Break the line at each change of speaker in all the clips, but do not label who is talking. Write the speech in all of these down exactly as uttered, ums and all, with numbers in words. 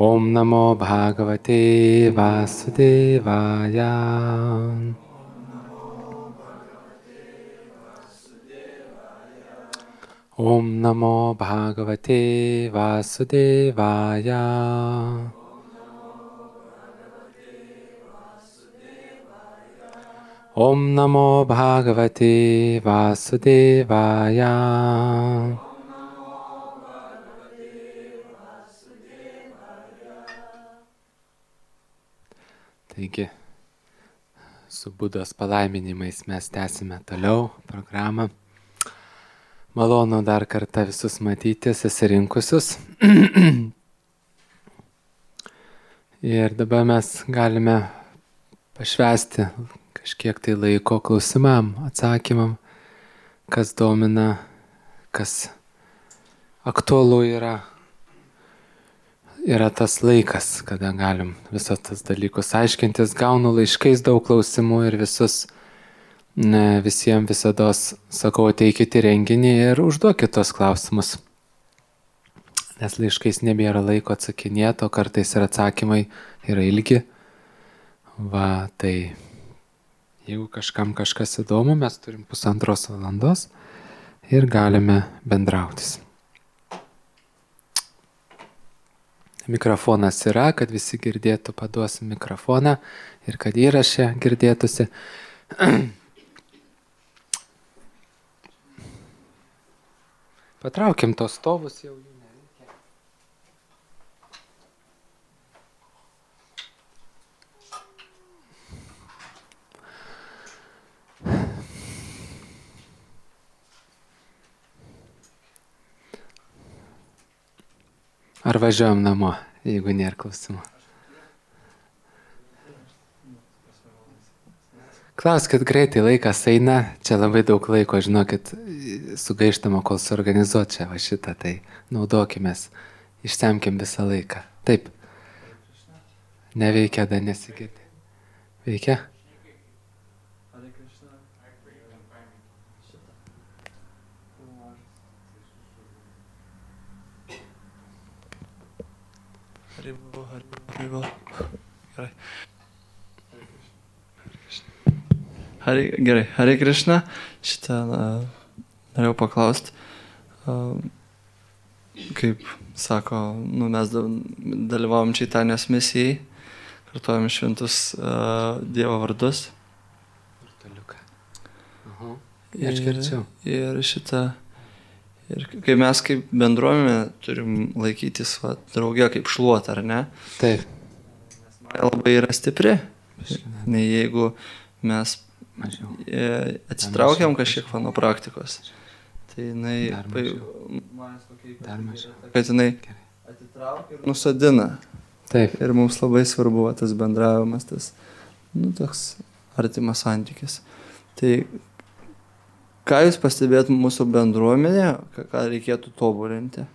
Om Namo Bhagavate Vasudevaya. Om Namo Bhagavate Vasudevaya. Om Namo Bhagavate Vasudevaya. Taigi, su Budos palaiminimais mes tęsime toliau programą. Malonu dar kartą visus matyti, susirinkusius. Ir dabar mes galime pašvęsti kažkiek tai laiko klausimam, atsakymam, kas domina, kas aktualu yra. Yra tas laikas, kada galim visos tas dalykus aiškintis. Gaunu laiškais daug klausimų ir visus, ne, visiems visados sakau, ateikit į renginį ir užduokit tos klausimus. Nes laiškais nebėra laiko atsakinėti, o kartais ir atsakymai yra ilgi. Va, tai jeigu kažkam kažkas įdomu, mes turim pusantros valandos ir galime bendrautis. Mikrofonas yra, kad visi girdėtų, paduosim mikrofoną ir kad įraše girdėtųsi. Patraukim tos stovus, jau jų nereikia. Ar važiuojam namo, jeigu nėra klausimų? Klauskit greitai, laikas eina, čia labai daug laiko, žinokit, sugaištama, kol suorganizuot čia va šitą, tai naudokimės, išsemkim visą laiką. Taip. Neveikia, dar nesigirdi. Veikia?
Haribo, haribo, haribo. Gerai. Hari, gerai, Hare Krishna, šitą uh, norėjau paklausti, uh, kaip sako, nu, mes dalyvavom Čaitanijos misijai, kartuojam šventus uh, Dievo vardus.
Uh-huh. Ir,
ir šitą, ir kai mes kaip bendruomenė turim laikytis va, drauge kaip šluot, ar ne?
Taip.
Nes man labai yra stipri, nei jeigu mes
mažiau.
Atsitraukiam kažkiek nuo praktikos. Tai jinai,
Dar mažiau. Dar mažiau.
Kad jinai atitraukia ir nusadina.
Taip.
Ir mums labai svarbu tas bendravimas, tas, nu, toks artimas santykis. Tai ką jūs pastebėt mūsų bendruomenė, ką reikėtų tobulinti?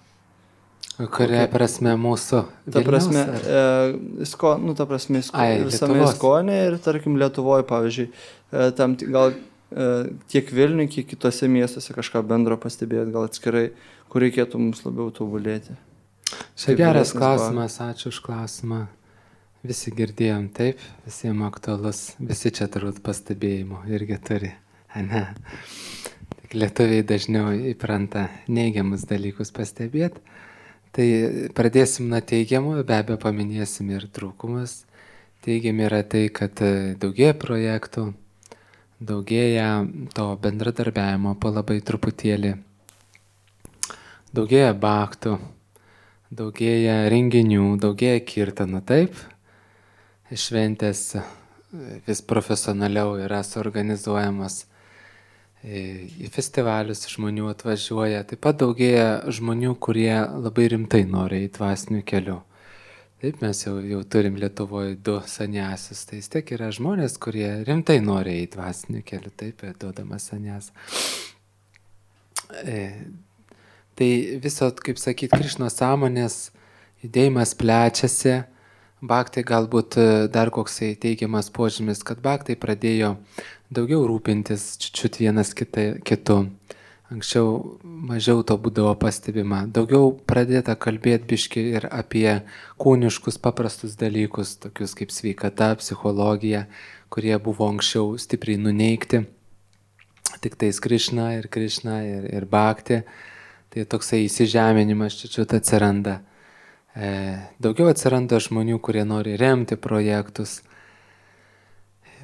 Kuria okay. prasme mūsų?
Ta prasme, e, sko, nu, ta prasme, sko,
Ai,
visame Iskonė ir, tarkim, Lietuvoje, pavyzdžiui, e, tam gal e, tiek Vilniuje, kiek kitose miestuose kažką bendro pastebėt, gal atskirai, kur reikėtų mums labiau tobulėti.
Čia geras klausimas, ačiū už klausimą. Visi girdėjom, taip, visiems aktualus, visi čia turbūt pastebėjimo irgi turi, ne? Tik lietuviai dažniau įpranta neigiamus dalykus pastebėti. Tai pradėsim nuo teigiamų, be abejo paminėsim ir trūkumus. Teigiami yra tai, kad daugėja projektų, daugėja to bendradarbiavimo po labai truputėlį, daugėja baktų, daugėja renginių, daugėja kirtanų, taip. Šventės vis profesionaliau yra suorganizuojamas. Į festivalius žmonių atvažiuoja, taip pat daugėja žmonių, kurie labai rimtai nori į dvasinių kelių. Taip, mes jau, jau turim Lietuvoje du saniasius, tai vis tiek yra žmonės, kurie rimtai nori į dvasinių kelių, taip, duodamas sanias. E, tai viso, kaip sakyt, Krišnos sąmonės judėjimas plečiasi. Bhaktai galbūt dar koksai teigiamas požymis, kad bhaktai pradėjo daugiau rūpintis čiut vienas kita, kitu, Anksčiau mažiau to būdavo pastebima. Daugiau pradėta kalbėti biški ir apie kūniškus paprastus dalykus, tokius kaip sveikata, psichologija, kurie buvo anksčiau stipriai nuneikti. Tik tais Krišna ir Krišna ir, ir Bhakti. Tai toksai įsižeminimas čia čia atsiranda. E, daugiau atsiranda žmonių, kurie nori remti projektus.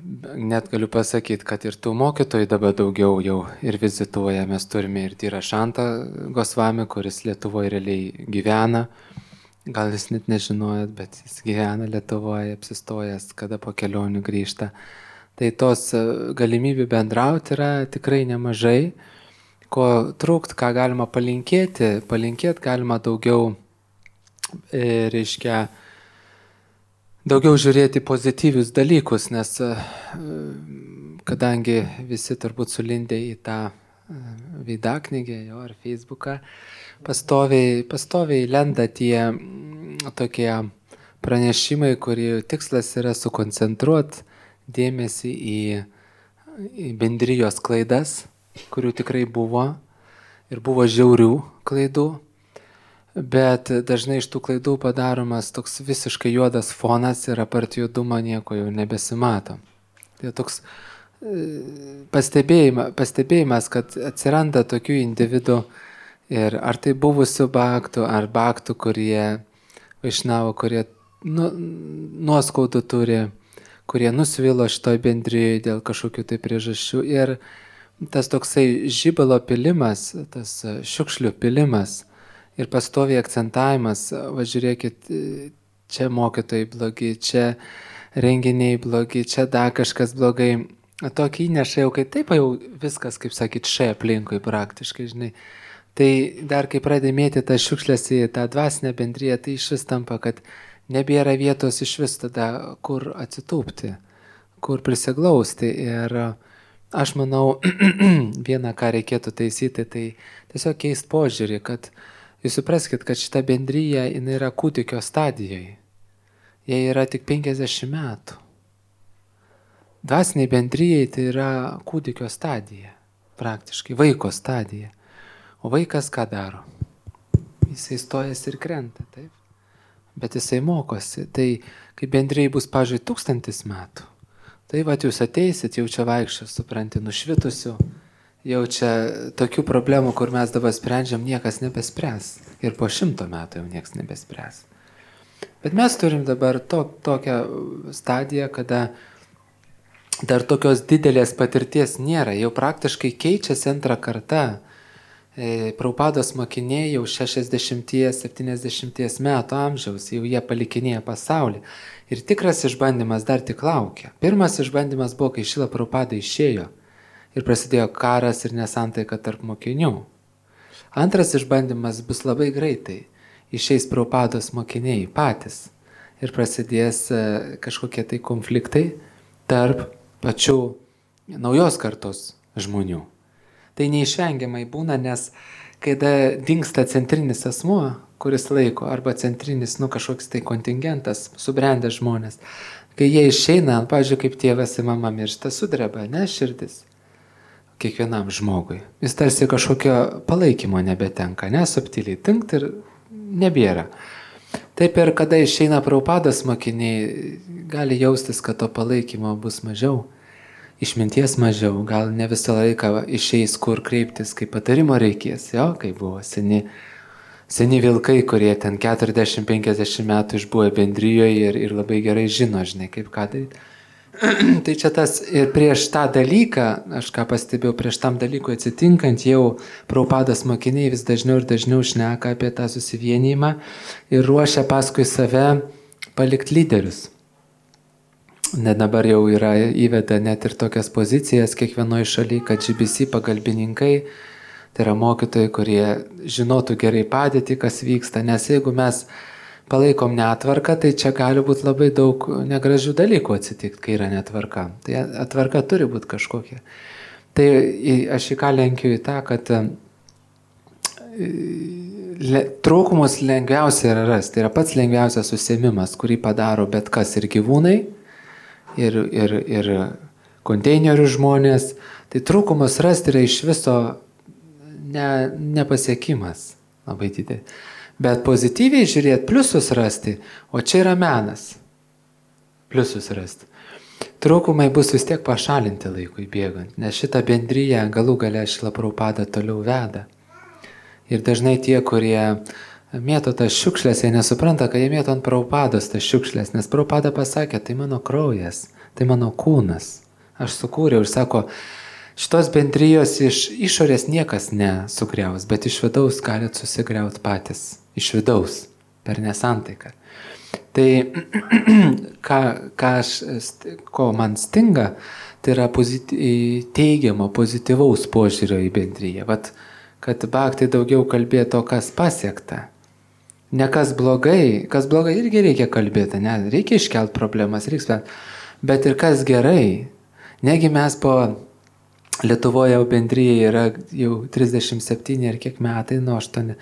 Net galiu pasakyti, kad ir tų mokytojų dabar daugiau jau ir vizituoja. Mes turime ir Dhyra Šantą Gosvami, kuris Lietuvoje realiai gyvena. Gal jūs net nežinojot, bet jis gyvena Lietuvoje, apsistojęs, kada po kelionių grįžta. Tai tos galimybių bendrauti yra tikrai nemažai. Ko trūkt, ką galima palinkėti, palinkėti galima daugiau, e, reiškia, daugiau žiūrėti pozityvius dalykus, nes kadangi visi turbūt sulindė į tą veidaknygę jo ar Facebooką, pastoviai, pastoviai lenda tie tokie pranešimai, kurių tikslas yra sukoncentruoti dėmesį į, į bendrijos klaidas, kurių tikrai buvo ir buvo žiaurių klaidų. Bet dažnai iš tų klaidų padaromas toks visiškai juodas fonas ir apart juodumo nieko jau nebesimato. Tai toks pastebėjimas, pastebėjimas, kad atsiranda tokių individų ir ar tai buvusių bhaktų, ar bhaktų, kurie vaišnavo, kurie nu, nuoskaudų turi, kurie nusvilo šitoj bendrijoje dėl kažkokių tai priežasčių. Ir tas toksai žibalo pilimas, tas šiukšlių pilimas, ir pastoviai akcentavimas, va žiūrėkit, čia mokytojai blogi, čia renginiai blogi, čia dar kažkas blogai. Tokį įneša jau, kai taip jau viskas, kaip sakyt, šia aplinkui praktiškai, žinai. Tai dar kai pradėmėti tą šiukšlės į tą dvasinę bendriją, tai iš vis tampa, kad nebėra vietos iš vis tada, kur atsitūpti, kur prisiglausti. Ir aš manau, vieną, ką reikėtų taisyti, tai tiesiog keist požiūrį, kad jūs supraskite, kad šita bendryja jinai yra kūdikio stadijoje. Jie yra tik penkiasdešimt metų. Dvasiniai bendryjai tai yra kūdikio stadija, praktiškai vaiko stadija. O vaikas ką daro? Jisai stojasi ir krenta, taip? Bet jisai mokosi. Tai kai bendryjai bus, pavyzdžiui, tūkstantis metų, tai vat jūs ateisit, jau čia vaikščios, supranti, nušvitusių, jau čia tokių problemų, kur mes dabar sprendžiam, niekas nebespręs. Ir po šimto metų jau niekas nebespręs. Bet mes turim dabar to, tokią stadiją, kada dar tokios didelės patirties nėra. Jau praktiškai keičiasi antrą kartą. E, Prabhupados mokiniai jau šešiasdešimties septyniasdešimties metų amžiaus, jau jie palikinėja pasaulį. Ir tikras išbandymas dar tik laukia. Pirmas išbandymas buvo, kai Šrila Prabhupada išėjo. Ir prasidėjo karas ir nesantaika tarp mokinių. Antras išbandymas bus labai greitai. Išeis Prabhupados mokiniai patys. Ir prasidės kažkokie tai konfliktai tarp pačių naujos kartos žmonių. Tai neišvengiamai būna, nes kada dingsta centrinis asmuo, kuris laiko, arba centrinis, nu, kažkoks tai kontingentas, subrendęs žmonės, kai jie išeina, pavyzdžiui, kaip tėvas ir mama miršta, sudreba, ne, širdis. Kiekvienam žmogui. Jis tarsi kažkokio palaikymo nebetenka, nesubtiliai tinkt ir nebėra. Taip ir kada išeina Prabhupados mokiniai, gali jaustis, kad to palaikymo bus mažiau, išminties mažiau, gal ne visą laiką išeis, kur kreiptis, kaip patarimo reikės, jo, kai buvo seni, seni vilkai, kurie ten keturiasdešimt penkiasdešimt metų išbuvo bendrijoje ir, ir labai gerai žino, žinai, kaip ką daryti. Tai čia tas ir prieš tą dalyką, aš ką pastebėjau, prieš tam dalykui atsitinkant, jau Prabhupados mokiniai vis dažniau ir dažniau šneka apie tą susivienijimą ir ruošia paskui save palikti lyderius. Net dabar jau yra įveda net ir tokias pozicijas kiekvienoje šalyje, kad G B C pagalbininkai, tai yra mokytojai, kurie žinotų gerai padėtį, kas vyksta, nes jeigu mes palaikom netvarką, tai čia gali būti labai daug negražių dalykų atsitikti, kai yra netvarka. Tai atvarka turi būti kažkokia. Tai aš į ką lenkiu į tą, kad le, trūkumus lengviausia yra rasti. Tai yra pats lengviausias užsiėmimas, kurį padaro bet kas ir gyvūnai, ir, ir, ir konteinerių žmonės. Tai trūkumus rasti yra iš viso ne, nepasiekimas labai didelis. Bet pozityviai žiūrėti, pliusus rasti, o čia yra menas. Pliusus rasti. Trūkumai bus vis tiek pašalinti laikui bėgant, nes šitą bendryją galų gale Šrila Prabhupada toliau veda. Ir dažnai tie, kurie mėto tas šiukšlės, jie nesupranta, kad jie mėto ant Prabhupados tas šiukšlės, nes Prabhupada pasakė, tai mano kraujas, tai mano kūnas. Aš sukūriau ir sako, šitos bendrijos iš išorės niekas nesugriaus, bet iš vidaus galit susigriauti patys. Iš vidaus, per nesantaiką. Tai, ką, ką aš, ko man stinga, tai yra pozity, teigiamo, pozityvaus požiūrio į bendryją. Vat, kad bhakti daugiau kalbėtų, kas pasiekta. Ne kas blogai, kas blogai irgi reikia kalbėti, ne, reikia iškelt problemas, reikia, bet ir kas gerai. Negi mes po Lietuvoje jau bendryje yra jau trisdešimt septyni ar kiek metai, nuo aštuoni.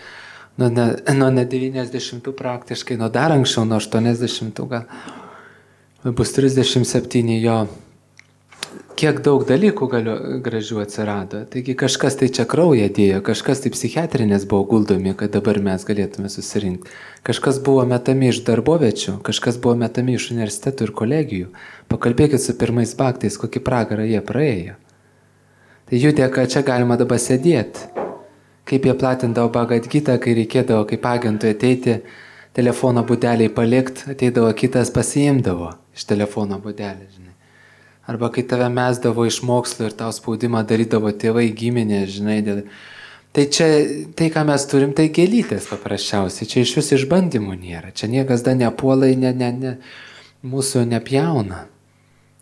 Nuo ne, nuo ne devyniasdešimtų praktiškai, nuo dar anksčiau, nuo aštuoniasdešimtų gal. Bus trisdešimt septyni jo. Kiek daug dalykų galiu, gražių atsirado. Taigi kažkas tai čia kraują dėjo, kažkas tai psichiatrinės buvo guldomi, kad dabar mes galėtume susirinkti. Kažkas buvo metami iš darbovečių, kažkas buvo metami iš universitetų ir kolegijų. Pakalbėkit su pirmais bhaktais, kokį pragarą jie praėjo. Tai jų dėka čia galima dabar sėdėti. Kaip jie platindavo Bhagavad Gitą, kai reikėdavo kaip agentui ateiti, telefono būdeliai palikti, ateidavo kitas pasiimdavo iš telefono būdelį, žinai. Arba kai tave mesdavo iš mokslo ir tau spaudimą darydavo tėvai, giminė, žinai. Dėl... Tai čia, tai ką mes turim, tai gėlytės paprasčiausiai, čia iš vis išbandymų nėra, čia niekas da nepuolai, ne, ne, ne, mūsų nepjauna.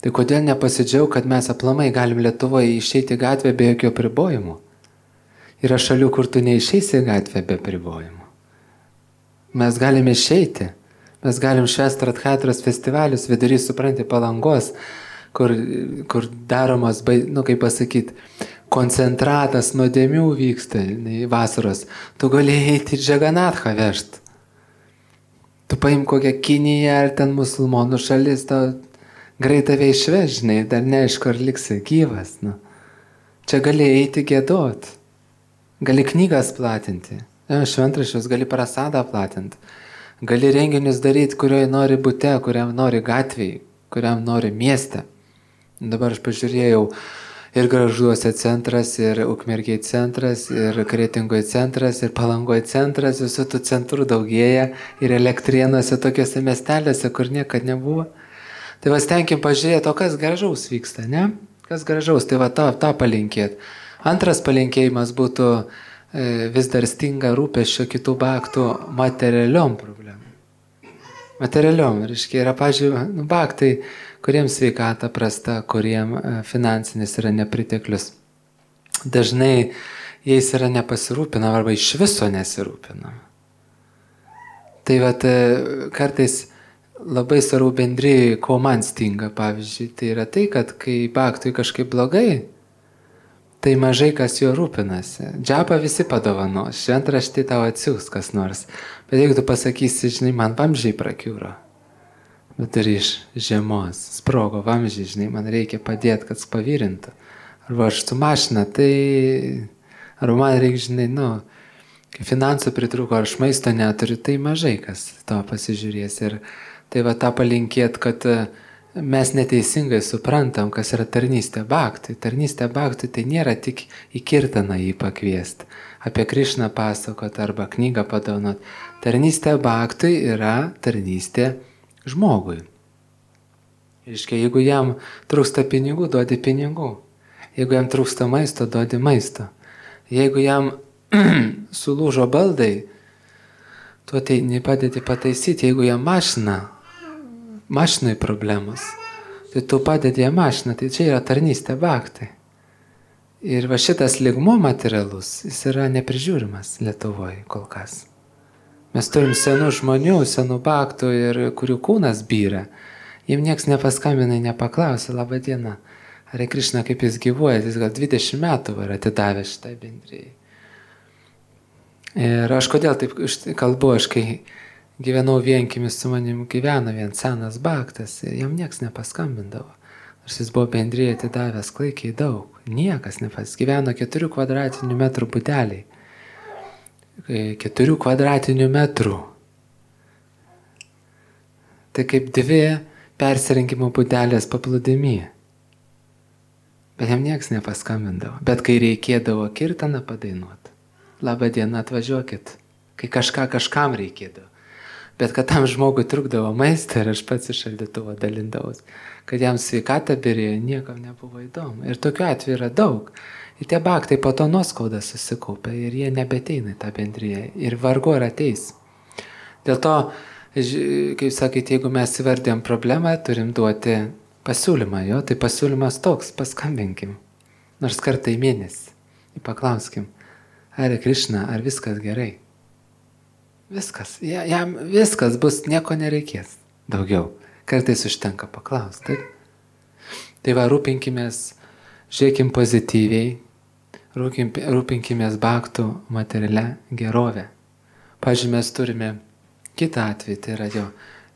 Tai kodėl nepasidžiaug, kad mes aplamai galim Lietuvoje išeiti į gatvę be jokio pribojimų? Yra šalių, kur tu neišeisi į gatvę be pribojimų. Mes galime išeiti. Mes galim švęsti Radhatros festivalius vidury, supranti, Palangos, kur, kur daromas, nu kaip pasakyti, koncentratas nuodėmių vyksta vasaros. Tu gali eiti į Džaganathą vežti. Tu paim kokią Kiniją ar ten musulmonų šalis, tau greit tave išvežinai, dar neaišku, ar liksi gyvas. Nu. Čia gali eiti gėdot. Gali knygas platinti, šventraščius, gali prasadą platinti, gali renginius daryti, kurioje nori bute, kuriam nori gatvėje, kuriam nori mieste. Dabar aš pažiūrėjau ir Gargžduose centras, ir Ukmergėje centras, ir Kretingoje centras, ir Palangoje centras, visų tų centrų daugėja, ir Elektrėnuose tokiuose miestelėse, kur niekad nebuvo. Tai va stenkim pažiūrėti, o kas gražaus vyksta, ne? Kas gražaus, tai va tą, tą palinkėt. Antras palinkėjimas būtų e, vis dar stinga rūpesčio kitų bhaktų materialiom problemom. Materialiom, reiškia, yra, pažiūrėjau, nu, bhaktai, kuriems sveikata prasta, kuriem e, finansinis yra nepriteklius. Dažnai jais yra nepasirūpinama arba iš viso nesirūpinama. Tai vat, e, kartais labai svarbu bendrijai, ko man stinga, pavyzdžiui, tai yra tai, kad kai bhaktui kažkaip blogai, tai mažai kas juo rūpinasi. Džapą visi padovanos, šventraštį tau atsiūs kas nors. Bet jeigu tu pasakysi, žinai, man vamzdžiai prakiūro, bet ir iš žiemos sprogo vamzdžiai, žinai, man reikia padėti, kad pavirintų. Arba aš su mašina, tai... Arba man reikia, žinai, nu, kai finansų pritruko, ar aš maisto neturiu, tai mažai kas to pasižiūrės. Ir tai va tą palinkėt, kad mes neteisingai suprantam, kas yra tarnystė bhaktui. Tarnystė bhaktui tai nėra tik į kirtaną jį pakviesti, apie Krišną pasakot arba knygą padovanot. Tarnystė bhaktui yra tarnystė žmogui. Reiškia, jeigu jam trūksta pinigų, duodi pinigų. Jeigu jam trūksta maisto, duodi maisto. Jeigu jam sulūžo baldai, tu ateini padėti pataisyti. Jeigu jam mašina, mašinai problemos, tai tu padedi jam mašiną, tai čia yra tarnystė bhaktai. Ir va šitas lygmuo materialus, jis yra neprižiūrimas Lietuvoje kol kas. Mes turim senų žmonių, senų bhaktų, ir kurių kūnas byra. Jiem nieks nepaskambina, nepaklausė, laba diena, Hare Krishna, kaip jis gyvuoja, jis gal dvidešimt metų yra atidavęs šitai bendrijai. Ir aš kodėl taip kalbu, aš kai gyvenau vienkimis, su manim gyveno vien senas bhaktas ir jam nieks nepaskambindavo. Nors jis buvo bendrijai atidavęs klaikiai daug. Niekas nepas gyveno keturių kvadratinių metrų buteliai. Keturių kvadratinių metrų. Tai kaip dvi persirinkimo butelės paplūdimy. Bet jam nieks nepaskambindavo. Bet kai reikėdavo kirtaną padainuoti, labą dieną atvažiuokit. Kai kažką kažkam reikėdavo. Bet kad tam žmogui trukdavo maistą ir aš pats iš šaldytuvo dalindavus, kad jam sveikatą birėjo, niekam nebuvo įdomu. Ir tokiu atveju yra daug. Ir tie baktai po to nuoskaudą susikaupia ir jie nebeteina į tą bendriją. Ir vargu ar ateis. Dėl to, kaip sakyti, jeigu mes įvardėm problemą, turim duoti pasiūlymą. Jo? Tai pasiūlymas toks, paskambinkim. Nors kartą į mėnesį. Ir paklauskim, Hare Krišna, ar viskas gerai? Viskas. Jam viskas bus, nieko nereikės. Daugiau. Kartais užtenka paklausti. Taip? Tai va, rūpinkimės, žiūrėkim pozityviai, rūpinkimės baktų materialia gerovę. Pavyzdžiui, mes turime kitą atvejį, tai yra jo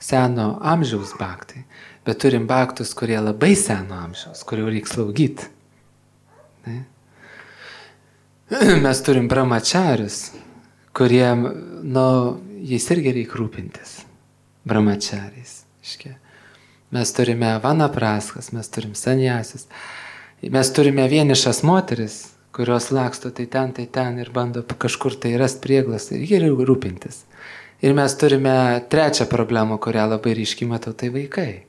seno amžiaus baktai, bet turim baktus, kurie labai seno amžiaus, kurių reikia slaugyti. Ne? Mes turim brahmačarius, kuriem, nu, jais irgi reikia rūpintis. Brahmačariais. Mes turime vanapraskas, mes turim sanjasis, mes turime vienišas moteris, kurios laksto tai ten, tai ten ir bando kažkur tai rast prieglas ir jie reikia rūpintis. Ir mes turime trečią problemą, kurią labai ryškiai matau, tai vaikai.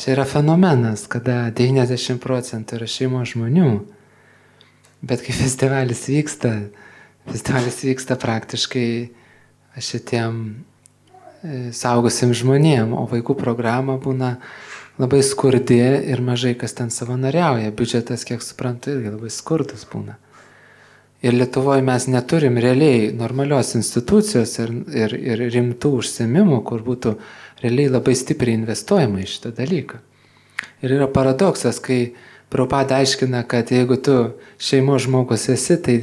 Čia yra fenomenas, kada devyniasdešimt procentų yra šeimos žmonių, bet kai festivalis vyksta, festivalis vyksta praktiškai šitiem saugusim žmonėm, o vaikų programa būna labai skurdi ir mažai kas ten savanoriauja. Biudžetas, kiek suprantu, irgi labai skurdus būna. Ir Lietuvoje mes neturim realiai normalios institucijos ir, ir, ir rimtų užsiėmimų, kur būtų realiai labai stipriai investuojama į šitą dalyką. Ir yra paradoksas, kai Prabhupada aiškina, kad jeigu tu šeimos žmogus esi, tai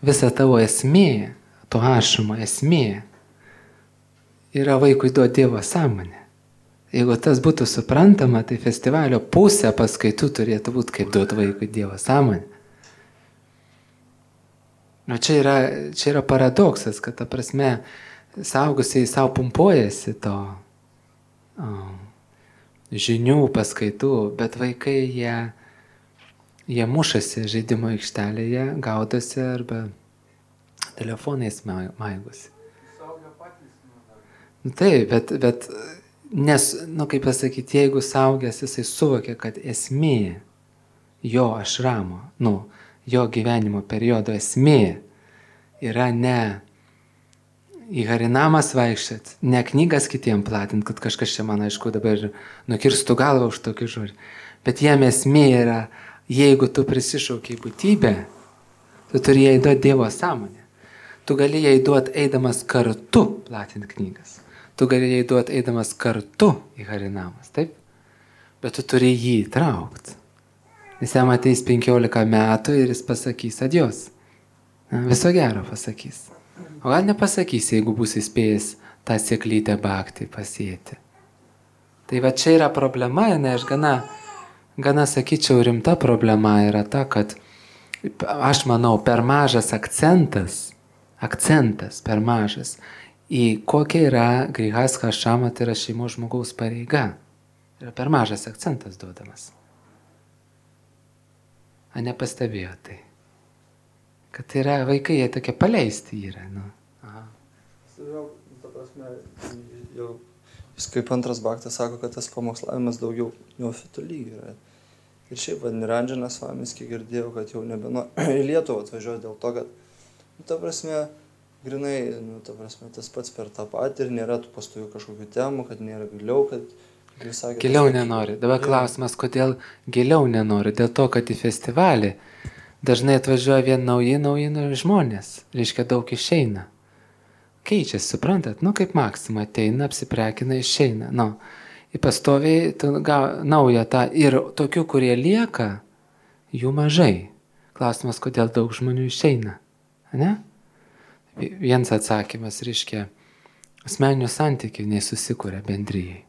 visa tavo esmė, to ašumo esmė, yra vaikui duoti Dievo sąmonę. Jeigu tas būtų suprantama, tai festivalio pusė paskaitų turėtų būti kaip duoti vaikui Dievo sąmonę. Nu, čia yra, čia yra paradoksas, kad ta prasme saugusiai savo pumpuojasi to o, žinių paskaitų, bet vaikai jie, jie mušasi žaidimo aikštelėje, gaudosi arba telefonais maigosi. Nu, taip, bet, bet nes, nu kaip pasakyti, jeigu saugęs jisai suvokia, kad esmė jo ašramo, nu, jo gyvenimo periodo esmė yra ne į harinamas vaikščiat, ne knygas kitiem platint, kad kažkas čia man, aišku, dabar nukirstų galvą už tokį žodį, bet jam esmė yra, jeigu tu prisišaukiai būtybę, tu turi jai duoti Dievo sąmonę. Tu gali jai duoti eidamas kartu platinti knygas. Tu gali jai duoti eidamas kartu į harinamas, taip? Bet tu turi jį įtraukti. Nes jam ateis penkiolika metų ir jis pasakys adios. Viso gero pasakys. O gal nepasakys, jeigu bus įspėjęs tą sėklytę bakti pasėti. Tai va čia yra problema, ne, aš gana, gana sakyčiau, rimta problema yra ta, kad aš manau, per mažas akcentas, akcentas per mažas, į kokia yra grihastha ašrama, tai yra šeimos žmogaus pareiga. Yra per mažas akcentas duodamas. A nepastebėjo tai? Kad tai yra vaikai, jie tokie paleisti yra. Nu. Aha.
Jau, ta prasme, jau jis kaip antras baktas sako, kad tas pamokslavimas daugiau neofitų lygių yra. Ir šiaip, Niranjanas Svamis, kiek girdėjau, kad jau nebenu į Lietuvą atvažiuoja dėl to, kad, nu, ta prasme, grinai, nu, ta prasme, tas pats per tą patį ir nėra tų pastovių kažkokių temų, kad nėra giliau, kad... Sakė,
giliau
tas,
nenori. Dabar jau. Klausimas, kodėl giliau nenori? Dėl to, kad į festivalį dažnai atvažiuoja vien nauji, nauji žmonės. Reiškia, daug išeina. Keičiasi, suprantat? Nu, kaip Maksima ateina, apsiprekina, išeina. Nu, į pastoviai naują tą. Ir tokių, kurie lieka, jų mažai. Klausimas, kodėl daug žmonių išeina. Ne? Vienas atsakymas, reiškia, asmeninių santykių nesusikuria bendryjai.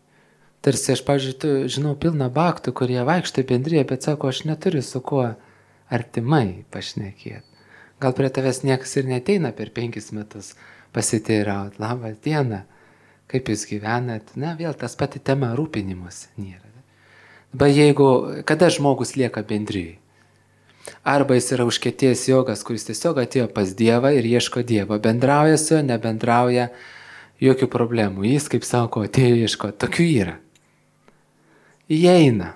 Tarsi aš, pavyzdžiui, žinau pilną baktų, kurie vaikšto į bendriją, bet sako, aš neturiu su kuo artimai pašnekėti. Gal prie tavęs niekas ir neteina per penkis metus pasiteirauti. Labą dieną, kaip jūs gyvenat? Na, vėl tas pati tema rūpinimus nėra. Bet jeigu, kada žmogus lieka bendrijai? Arba jis yra užkietėjęs jogas, kuris tiesiog atėjo pas Dievą ir ieško Dievo. Bendrauja su juo, nebendrauja, jokių problemų. Jis, kaip sako, atėjo ieško. Tokių yra. Įeina.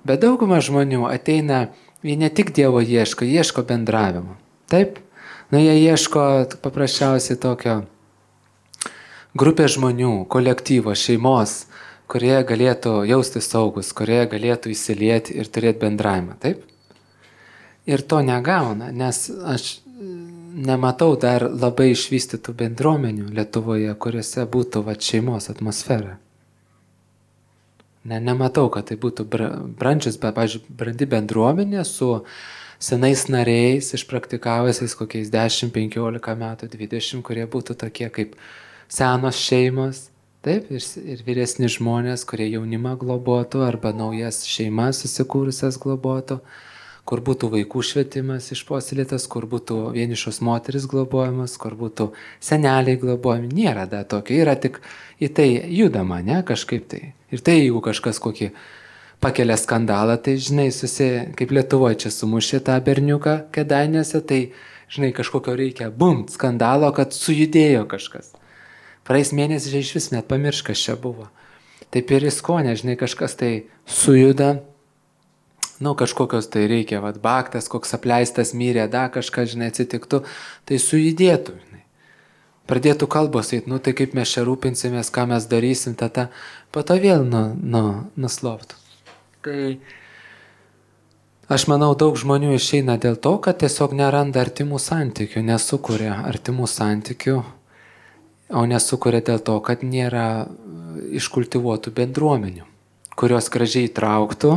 Bet dauguma žmonių ateina, jie ne tik Dievo ieško, ieško bendravimo. Taip? Nu, jie ieško paprasčiausiai tokio grupė žmonių, kolektyvo, šeimos, kurie galėtų jausti saugus, kurie galėtų įsilieti ir turėti bendravimą. Taip? Ir to negauna, nes aš nematau dar labai išvystytų bendruomenių Lietuvoje, kuriuose būtų va, šeimos atmosfera. Ne, nematau, kad tai būtų brandžius, bet, pavyzdžiui, brandi bendruomenė su senais nariais, išpraktikavusiais kokiais dešimt, penkiolika metų, dvidešimt, kurie būtų tokie kaip senos šeimos, taip, ir, ir vyresni žmonės, kurie jaunimą globotų arba naujas šeimas susikūrusias globotų, kur būtų vaikų švietimas išpuoselėtas, kur būtų vienišos moteris globojamas, kur būtų seneliai globojami. Nėra da tokio, yra tik į tai judama, ne, kažkaip tai. Ir tai, jeigu kažkas kokį pakelia skandalą, tai, žinai, susi, kaip Lietuvoje čia sumušė tą berniuką Kėdainiuose, tai, žinai, kažkokio reikia, bum, skandalo, kad sujudėjo kažkas. Praeis mėnesį iš vis net pamirš, kas čia buvo. Taip ir įskonė, žinai, kažkas tai sujuda, nu, kažkokios tai reikia, vat, baktas, koks apleistas mirė, da kažkas, žinai, atsitiktų, tai sujudėtų, žinai. Pradėtų kalbos eit, nu, tai kaip mes čia rūpinsimės, ką mes darysim, tada, po to vėl nu, nu, nusloptų. Tai aš manau, daug žmonių išeina dėl to, kad tiesiog neranda artimų santykių, nesukuria artimų santykių, o nesukuria dėl to, kad nėra iškultivuotų bendruomenių, kurios gražiai trauktų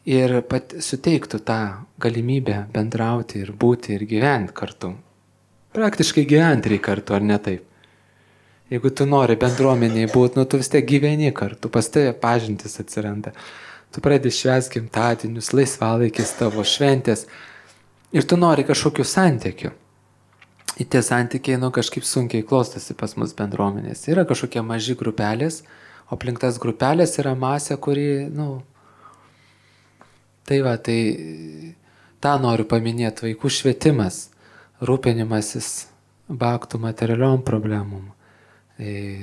ir pat suteiktų tą galimybę bendrauti ir būti ir gyventi kartu. Praktiškai gyventi reikia kartu, ar ne taip? Jeigu tu nori bendruomeniai būti, nu tu vis tiek gyveni kartu, pas tave pažintis atsiranda. Tu pradedi švęsti gimtadienius, laisvalaikis tavo šventės ir tu nori kažkokių santykių. Ir tie santykiai, nu, kažkaip sunkiai klostosi pas mus bendruomenės. Yra kažkokie maži grupelės, o aplink tas grupelės yra masė, kuri, nu, tai va, tai tą noriu paminėti, vaikų švietimas, rūpinimasis baktų materialiom problemom,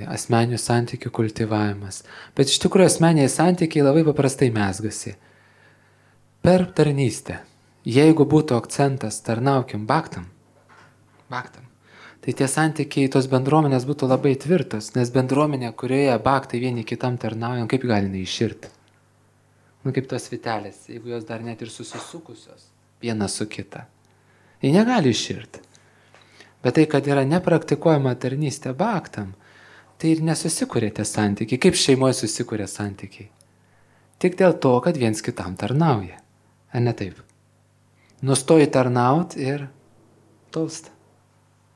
asmeninių santykių kultivavimas. Bet iš tikrųjų asmeniai santykiai labai paprastai mezgasi. Per tarnystę. Jeigu būtų akcentas tarnaukim baktam, baktam, tai tie santykiai, tos bendruomenės būtų labai tvirtos, nes bendruomenė, kurioje baktai vieni kitam tarnaujam, kaip gali iširti? Nu kaip tos vitelės, jeigu jos dar net ir susisukusios viena su kita. Jie negali iširti. Bet tai, kad yra nepraktikuojama tarnystė baktam, tai ir nesusikuria tie santykiai. Kaip šeimoje susikuria santykiai? Tik dėl to, kad viens kitam tarnauja. Ar ne taip? Nustoji tarnauti ir tolsta.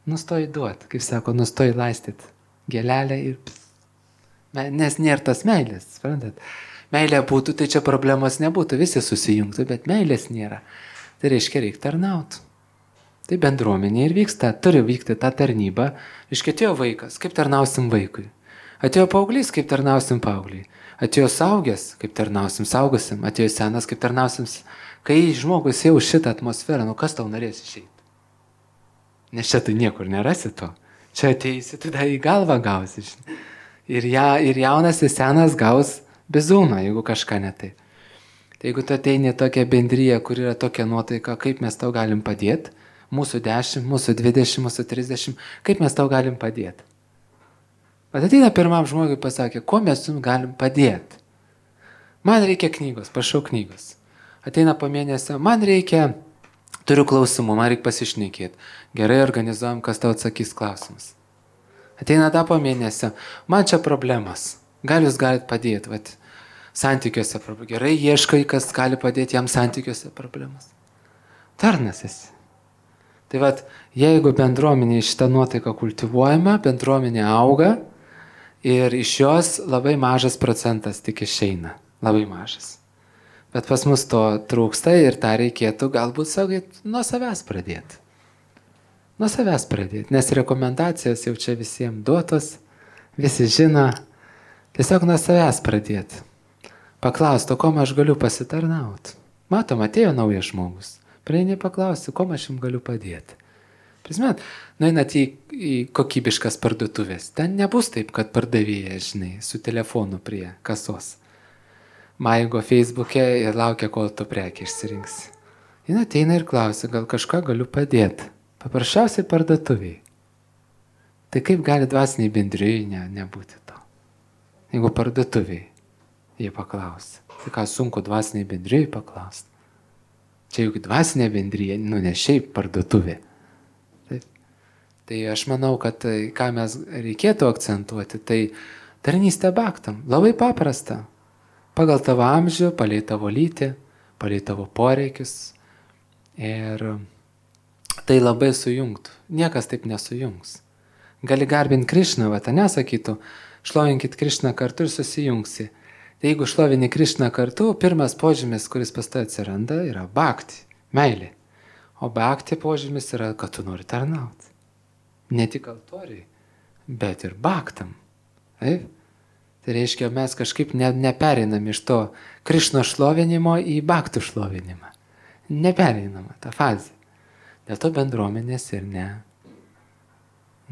Nustoji duoti, kaip sako, nustoji laistyti gėlelę ir pss. Nes nėra tas meilės, suprantat? Meilė būtų, tai čia problemos nebūtų, visi susijungtų, bet meilės nėra. Tai reiškia, reikia tarnauti. Tai bendruomenė ir vyksta, turi vykti tą tarnybą. Iškėtėjo vaikas, kaip tarnausim vaikui. Atėjo paauglys, kaip tarnausim paaugliai. Atėjo saugęs, kaip tarnausim saugusim. Atėjo senas, kaip tarnausim. Kai žmogus jau šitą atmosferą, nu kas tau norės išeiti? Nes čia tu niekur nerasi to. Čia ateisi, tu dar į galvą gausi. Ir, ja, ir jaunas ir senas gaus bizūną, jeigu kažką ne taip. Tai jeigu tu ateini tokią bendryją, kur yra tokia nuotaika, kaip mes tau galim padėti, mūsų dešimt, mūsų dvidešimt, mūsų trisdešimt, kaip mes tau galim padėti. Bet ateina pirmam žmogui pasakė, ko mes jums galim padėti. Man reikia knygos, prašau knygos. Ateina po mėnesio, man reikia, turiu klausimų, man reikia pasišnekėti. Gerai organizuojam, kas tau atsakys klausimus. Ateina tą po mėnesio, man čia problemas, gal jūs galite padėti, vat, santykiuose problemas. Gerai, ieškai, kas gali padėti jam santykiuose problemas. Tarnas esi. Tai vat, jeigu bendruomenė šitą nuotaiką kultivuojama, bendruomenė auga Ir iš jos labai mažas procentas tik išeina. Labai mažas. Bet pas mus to trūksta ir tą reikėtų galbūt saugiai nuo savęs pradėti. Nuo savęs pradėti, nes rekomendacijos jau čia visiems duotos, visi žino, tiesiog nuo savęs pradėti. Paklausti, kom aš galiu pasitarnauti. Matom, atėjo naujas žmogus. Prieini paklausti, kom aš jums galiu padėti. Prisimint, nueinat į, į kokybiškas parduotuvės. Ten nebus taip, kad pardavėja, žinai, su telefonu prie kasos. Maigo Facebook'e ir laukia, kol tu prekį išsirinksi. Jis ateina ir klausia, gal kažką galiu padėti. Paprasčiausiai parduotuviai. Tai kaip gali dvasiniai bendrijai ne, nebūti to? Jeigu parduotuviai jie paklausia. Tai ką sunku dvasiniai bendrijai paklausti? Čia juk dvasinė bendrija, nu ne šiaip parduotuvė. Taip. Tai aš manau, kad ką mes reikėtų akcentuoti, tai tarnystė baktam. Labai paprasta. Pagal tavo amžių, palei tavo lytį, palei tavo poreikius. Ir tai labai sujungtų. Niekas taip nesujungs. Gali garbinti Krišną, va, nesakytų, šlovinkit Krišną kartu ir susijungsi. Tai jeigu šlovini Krišną kartu, pirmas požymis, kuris pas tai atsiranda, yra bhakti, meilė. O bhakti požymis yra, kad tu nori tarnauti. Ne tik altoriai, bet ir bhaktam. Taip? Tai reiškia, mes kažkaip ne, neperinam iš to Krišno šlovinimo į bhaktų šlovinimą. Neperinama ta fazė. Dėl to bendruomenės ir ne,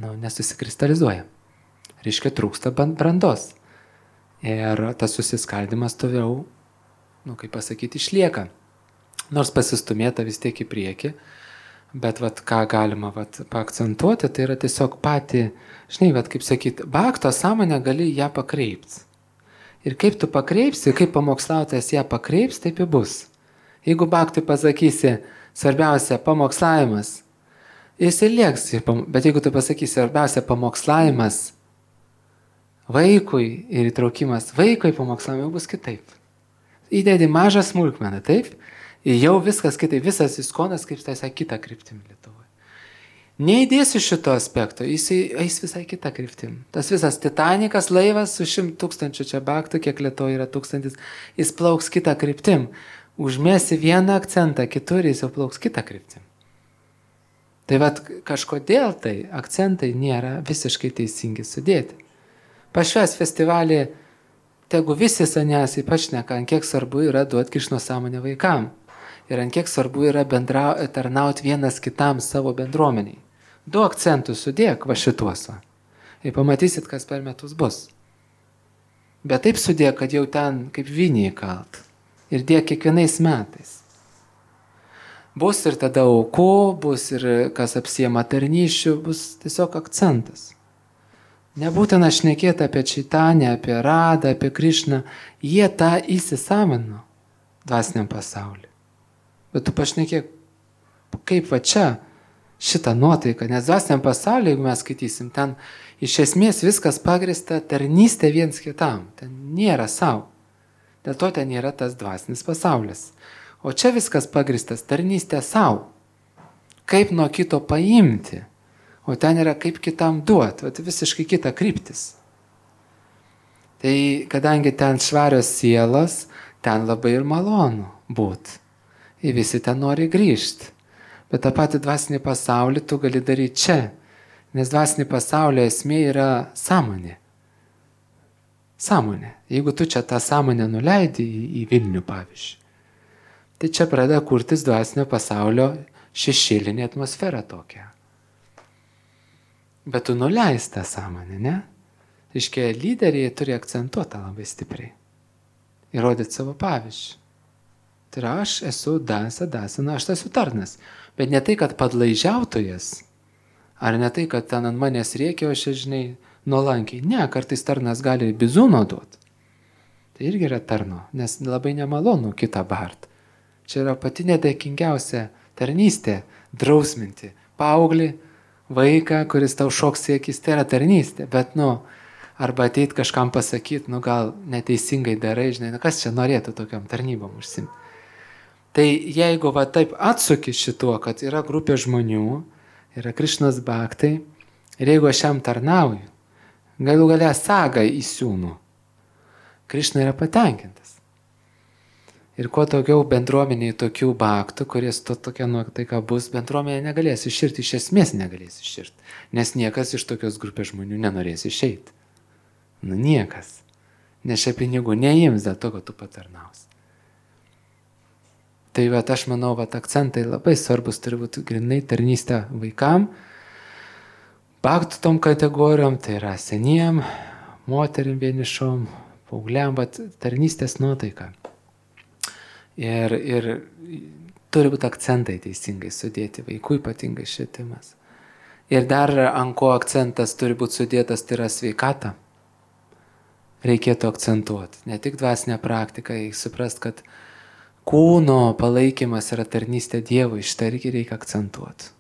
nu, nesusikristalizuoja. Reiškia, trūksta brandos. Ir tas susiskaldimas toliau, nu, kaip pasakyti, išlieka. Nors pasistumėta vis tiek į priekį, bet vat, ką galima vat, paakcentuoti, tai yra tiesiog pati, žinai, vat, kaip sakyti, bhakto sąmonę gali ją pakreipti. Ir kaip tu pakreipsi, kaip pamokslautojas ją pakreips, taip ir bus. Jeigu bhaktui pasakysi, svarbiausia pamokslavimas, jis ir lieks, bet jeigu tu pasakysi, svarbiausia pamokslavimas, vaikui ir įtraukimas vaikui pamokslavimui bus kitaip. Įdedi mažą smulkmeną, taip? Ir jau viskas kitaip, visas iskonas kaip tai kitą kryptimį Lietuvoje. Neįdėsiu šito aspekto, jis eis visai kitą kryptim. Tas visas Titanikas laivas su šimt tūkstančių čia bhaktų, kiek Lietuvoje yra tūkstantis, jis plauks kitą kryptim. Užmėsi vieną akcentą, kitur jis jau plauks kitą kryptim. Tai vat kažkodėl tai akcentai nėra visiškai teisingi sudėti. Pašvęs festivalį, tegu visi saniasiai pašneka, ant kiek svarbu yra duoti Krišno sąmonę vaikam. Ir ant kiek svarbu yra bendra, tarnauti vienas kitam savo bendruomeniai. Du akcentus sudėk va šituos. Ir pamatysit, kas per metus bus. Bet taip sudėk, kad jau ten kaip viniai kalt. Ir dėk kiekvienais metais. Bus ir tada aukų, bus ir kas apsiema tarnyšių, bus tiesiog akcentas. Nebūtina šnekėti apie Čaitanę, apie Radą, apie Krišną. Jie tą įsisavino dvasiniam pasauliu. Bet tu pašnekėk, kaip va čia šitą nuotaiką, nes dvasiniam pasauliu, jeigu mes skaitysim, ten iš esmės viskas pagrįsta tarnystė viens kitam. Ten nėra savo. Dėl to ten yra tas dvasinis pasaulis. O čia viskas pagrįstas tarnystė savo. Kaip nuo kito paimti. O ten yra kaip kitam duoti, tai visiškai kita kryptis. Tai kadangi ten švarios sielos, ten labai ir malonu būti. Ir visi ten nori grįžti. Bet tą patį dvasinį pasaulį tu gali daryti čia. Nes dvasinį pasaulio esmė yra sąmonė. Sąmonė. Jeigu tu čia tą sąmonę nuleidi į, į Vilnių, pavyzdžiui, tai čia pradeda kurtis dvasinio pasaulio šešėlinė atmosfera tokia. Bet tu nuleis tą sąmonę, ne? Iškia, lyderiai turi akcentuoti labai stipriai. Įrodyti savo pavyzdžių. Tai yra, aš esu dasa, dasa, na, aš esu tarnas. Bet ne tai, kad padlaižiautojas, ar ne tai, kad ten ant manęs rėkia, o aš, žinai, nuolankiai. Ne, kartais tarnas gali bizūno duoti. Tai irgi yra tarno, nes labai nemalonu kitą bart. Čia yra pati nedėkingiausia tarnystė, drausminti paauglį, vaiką, kuris tau šoks į akis, tai yra tarnystė, bet, nu, arba ateit kažkam pasakyti, nu, gal neteisingai darai, žinai, nu, kas čia norėtų tokiam tarnybom užsimti. Tai jeigu va taip atsuki šituo, kad yra grupė žmonių, yra Krišnos bhaktai, ir jeigu aš jam tarnauju, galų galia sagą įsiūnų. Krišna yra patenkintas. Ir kuo daugiau bendruomeniai tokių bhaktų, kuris to tokia nuotaika bus, bendruomenė negalės iširti, iš esmės negalės iširti. Nes niekas iš tokios grupės žmonių nenorės išeiti. Nu niekas. Nes šia pinigų neims dėl to, kad tu patarnaus. Tai vat, aš manau, vat, akcentai labai svarbus turi būti grinai tarnystė vaikam, bhaktų tom kategorijom, tai yra seniem, moterim vienišom, paaugliam, bet tarnystės nuotaika. Ir, ir turi būti akcentai teisingai sudėti, vaikų ypatingai švietimas. Ir dar ant ko akcentas turi būti sudėtas, tai yra sveikata. Reikėtų akcentuoti. Ne tik dvasinę praktiką, reikia suprast, kad kūno palaikymas yra tarnystė Dievui, šitą irgi reikia akcentuoti.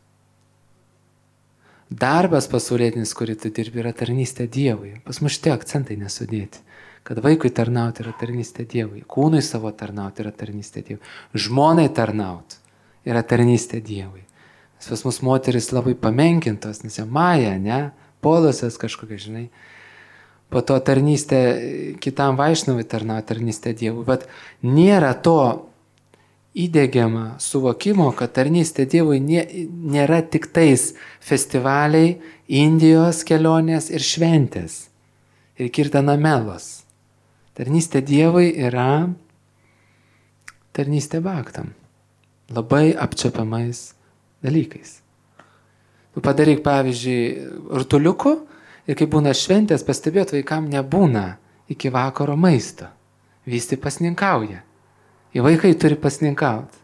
Darbas pasaulietinis, kurį tu dirbi, yra tarnystė Dievui. Pas mus šitie akcentai nesudėti. Kad vaikui tarnauti yra tarnystė Dievui, kūnui savo tarnauti yra tarnystė Dievui, žmonai tarnauti yra tarnystė Dievui. Nes pas mus moteris labai pamenkintos, nes jau Maja, ne, Polusas kažkokia, žinai. Po to tarnystė kitam Vaišnavui tarnauti tarnystė Dievui, bet nėra to įdėgiama suvokimo, kad tarnystė Dievui nėra tik tais festivaliai, Indijos kelionės ir šventės ir kirtana melos. Tarnystė Dievui yra tarnystė bhaktam, labai apčiuopiamais dalykais. Tu padaryk, pavyzdžiui, rutuliukų ir kai būna šventės, pastebėt, vaikam nebūna iki vakaro maisto. Visi pasninkauja. Į vaikai turi pasninkauti.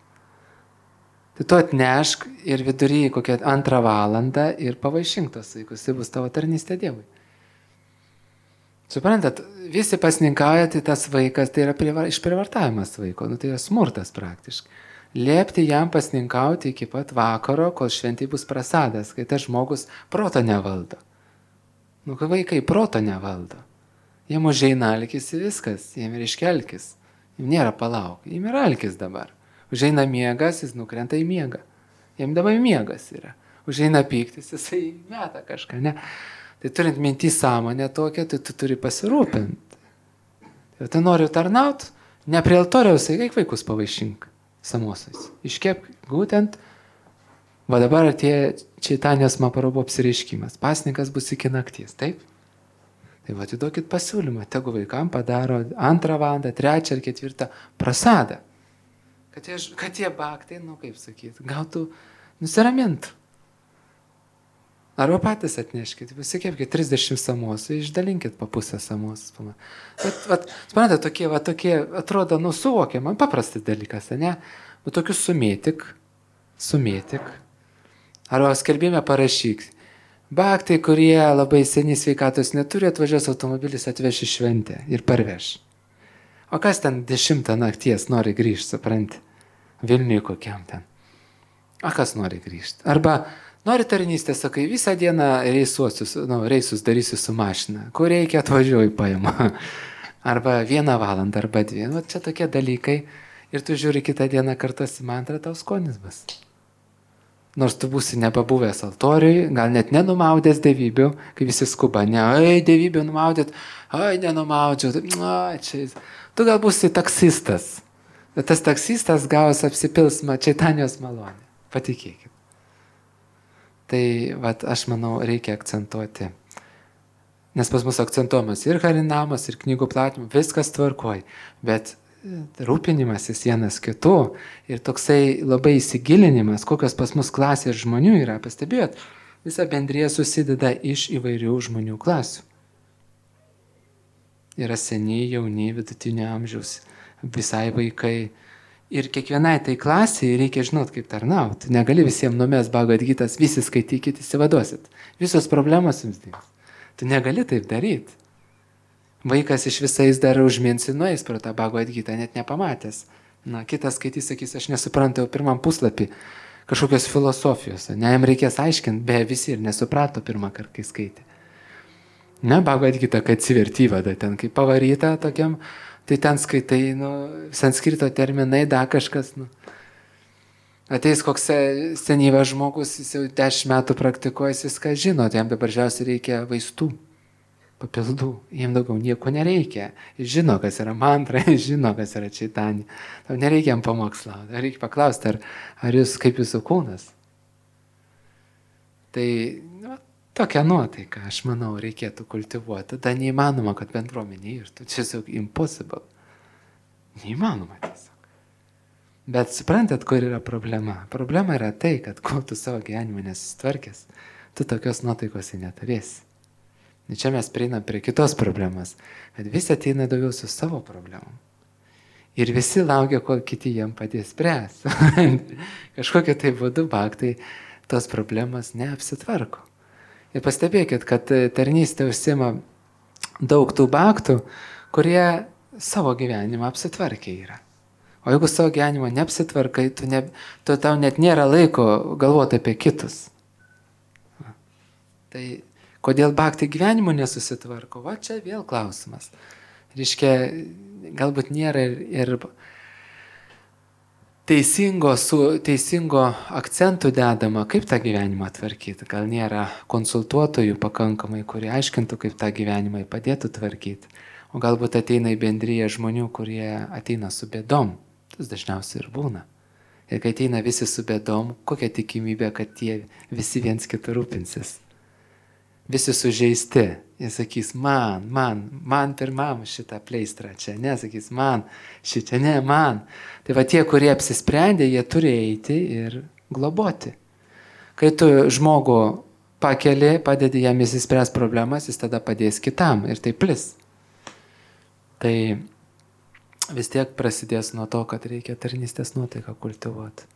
Tai tu atnešk ir vidury kokią antrą valandą ir pavaišink tos vaikus. Tai bus tavo tarnystė Dievui. Suprantat, visi pasninkauja, tai tas vaikas, tai yra išprivartavimas vaiko, nu, tai yra smurtas praktiškai. Liepti jam pasninkauti iki pat vakaro, kol šventai bus prasadas, kai tas žmogus proto nevaldo. Nu, kai vaikai proto nevaldo. Jiem užeina alkis ir viskas, jiem ir iškelkis. Jiem nėra palauk, jiem yra alkis dabar. Užeina miegas, jis nukrenta į miegą. Jiem dabar miegas yra. Užeina pyktis, jisai meta kažką, ne? Tai turint mintį sąmonę tokią, tai tu turi pasirūpinti. Ir tai noriu tarnauti, ne prie altoriaus, eik vaikus pavaišink samosais. Iškep būtent, va dabar atėjo Čaitanijos Mahaprabhu apsireiškimas. Pasninkas bus iki nakties, taip? Tai va, atiduokit pasiūlymą, tegu vaikam padaro antrą valandą, trečią ar ketvirtą prasadą. Kad jie, kad jie bhaktai, nu kaip sakyti, gautų nusiramintų. Arba patys atneškit, pasikėpkit trisdešimt samosų, išdalinkit po pusę samosų. Bet, vat, suprantate, tokie, va, tokie, atrodo, nu, suvokiama, paprastas dalykas, ne? Bet tokius sumėtik, sumėtik. Arba skelbime parašyk. Bhaktai, kurie labai seniai sveikatos neturi, atvažiuos automobilis, atveš į šventę ir parveš. O kas ten dešimtą nakties nori grįžti, supranti? Vilniui kokiam ten. O kas nori grįžti? Arba nori tarnystę, sakai, visą dieną reisuosius, nu, reisus darysiu su mašina. Kur reikia, atvažiuoju paima. Arba vieną valandą, arba dvi. Nu, čia tokie dalykai. Ir tu žiūri kitą dieną kartuosi mantrą, tau skonis bus. Nors tu būsi nepabuvęs altoriui, gal net nenumaudęs dievybių, kai visi skuba. Ne, ai, dievybių numaudėt, ai, nenumaudžiau. Ai, čia. Tu gal būsi taksistas. Bet tas taksistas gaus apsipilsmą Čaitanijos malonę. Patikėkit. Tai, vat, aš manau, reikia akcentuoti. Nes pas mus akcentuojamas ir harinamas, ir knygų platimas, viskas tvarkoj. Bet rūpinimasis vienas kitų ir toksai labai įsigilinimas, kokios pas mus klasės žmonių yra, pastebėjot, visa bendrija susideda iš įvairių žmonių klasių. Yra seniai, jauni, vidutinio amžiaus, visai vaikai. Ir kiekvienai tai klasiai reikia žinot, kaip tarnauti. Negali visiems numest Bhagavad Gitas, visi skaitykit, įsivaduosit. Visos problemos jums dings. Tu negali taip daryti. Vaikas iš visais dar užminsi, nueis pro tą Bhagavad Gitą, net nepamatęs. Na, kitas skaitys, sakys, aš nesuprantu pirmam puslapį kažkokios filosofijos. Ne, jam reikės aiškinti, beje, visi ir nesuprato pirmą kartą, kai skaitė. Ne, Bhagavad Gita, kad atsiverti vada ten, kai pavaryta tokiam, tai ten skaitai, nu, sanskrito terminai, da kažkas, nu. Ateis koks senyvas žmogus, jis jau dešimt metų praktikuojas, viską žino, tai jam dabar žiausiai reikia vaistų. papildų, jiem daugiau nieko nereikia. Jis žino, kas yra mantra, jis žino, kas yra čaitanija. Tau nereikia jam pamokslauti, reikia paklausti, ar, ar jūs kaip jūsų kūnas. Tai nu, tokia nuotaika, aš manau, reikėtų kultivuoti. Tada neįmanoma, kad bendruomenė irtų. Čia tiesiog impossible. Neįmanoma tiesiog. Bet suprantat, kur yra problema? Problema yra tai, kad kol tu savo gyvenimą nesistvarkęs, tu tokios nuotaikos neturėsi. Ir čia mes prieinam prie kitos problemos, kad visi ateina daugiau su savo problemom. Ir visi laukia, kol kiti jam padės spręs. Kažkokia tai būdu baktai tos problemos neapsitvarko. Ir pastebėkit, kad tarnystė užsima daug tų baktų, kurie savo gyvenimą apsitvarkę yra. O jeigu savo gyvenimą neapsitvarkai, tu ne, tu tau net nėra laiko galvoti apie kitus. Tai kodėl baktai gyvenimo nesusitvarko? Va čia vėl klausimas. Reiškia, galbūt nėra ir, ir teisingo, su, teisingo akcentų dedama, kaip tą gyvenimą tvarkyti. Gal nėra konsultuotojų pakankamai, kurie aiškintų, kaip tą gyvenimą padėtų tvarkyti. O galbūt ateina į bendryje žmonių, kurie ateina su bėdom. Tas dažniausiai ir būna. Ir kai ateina visi su bėdom, kokia tikimybė, kad tie visi viens kitų rūpinsis. Visi sužeisti. Jie sakys, man, man, man pirmam šitą pleistrą čia, ne, sakys, man, šitą, ne, man. Tai va tie, kurie apsisprendė, jie turi eiti ir globoti. Kai tu žmogų pakeli, padedi jam įsispręs problemas, jis tada padės kitam ir tai plis. Tai vis tiek prasidės nuo to, kad reikia tarnystės nuotaiką kultivuoti.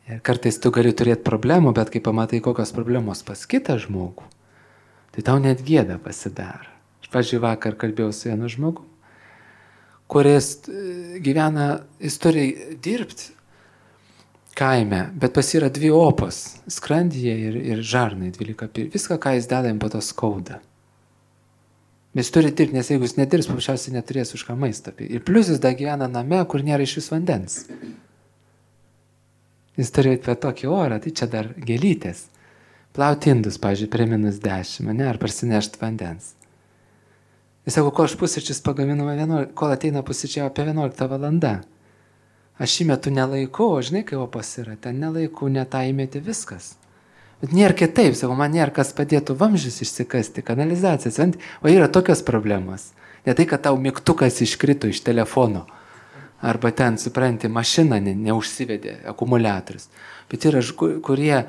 Ir kartais tu gali turėti problemų, bet kai pamatai, kokios problemos pas kitą žmogų, tai tau net gėda pasidaro. Aš, pavyzdžiui, vakar kalbėjau su vienu žmogu, kuris gyvena, jis turi dirbti kaime, bet pas yra dvi opos, skrandyje ir, ir žarnai, dvylika pir. Viską, ką jis deda, jam po to skauda. Jis turi dirbti, nes jeigu jis nedirbs, paprasčiausiai neturės už ką maistą. Ir plius jis dar gyvena name, kur nėra iš vis vandens. Jis turi apie tokį orą, tai čia dar gėlytės. Plauti indus, pavyzdžiui, prie minus dešimt, ne, ar parsinešti vandens. Jis sako, kol aš pusryčius pagaminu, kol ateina pusryčiai apie vienuoliktą valandą. Aš įmetu nelaiku, o žinai, kai opos yra, ten nelaiku, netą įmeti viskas. Bet nėra kitaip, savo, man nėra kas padėtų vamzdžius išsikasti, kanalizacijas, o yra tokios problemos. Ne tai, kad tau mygtukas iškrito iš telefono, arba ten, supranti, mašina ne, neužsivedė, akumuliatorius. Bet yra, kurie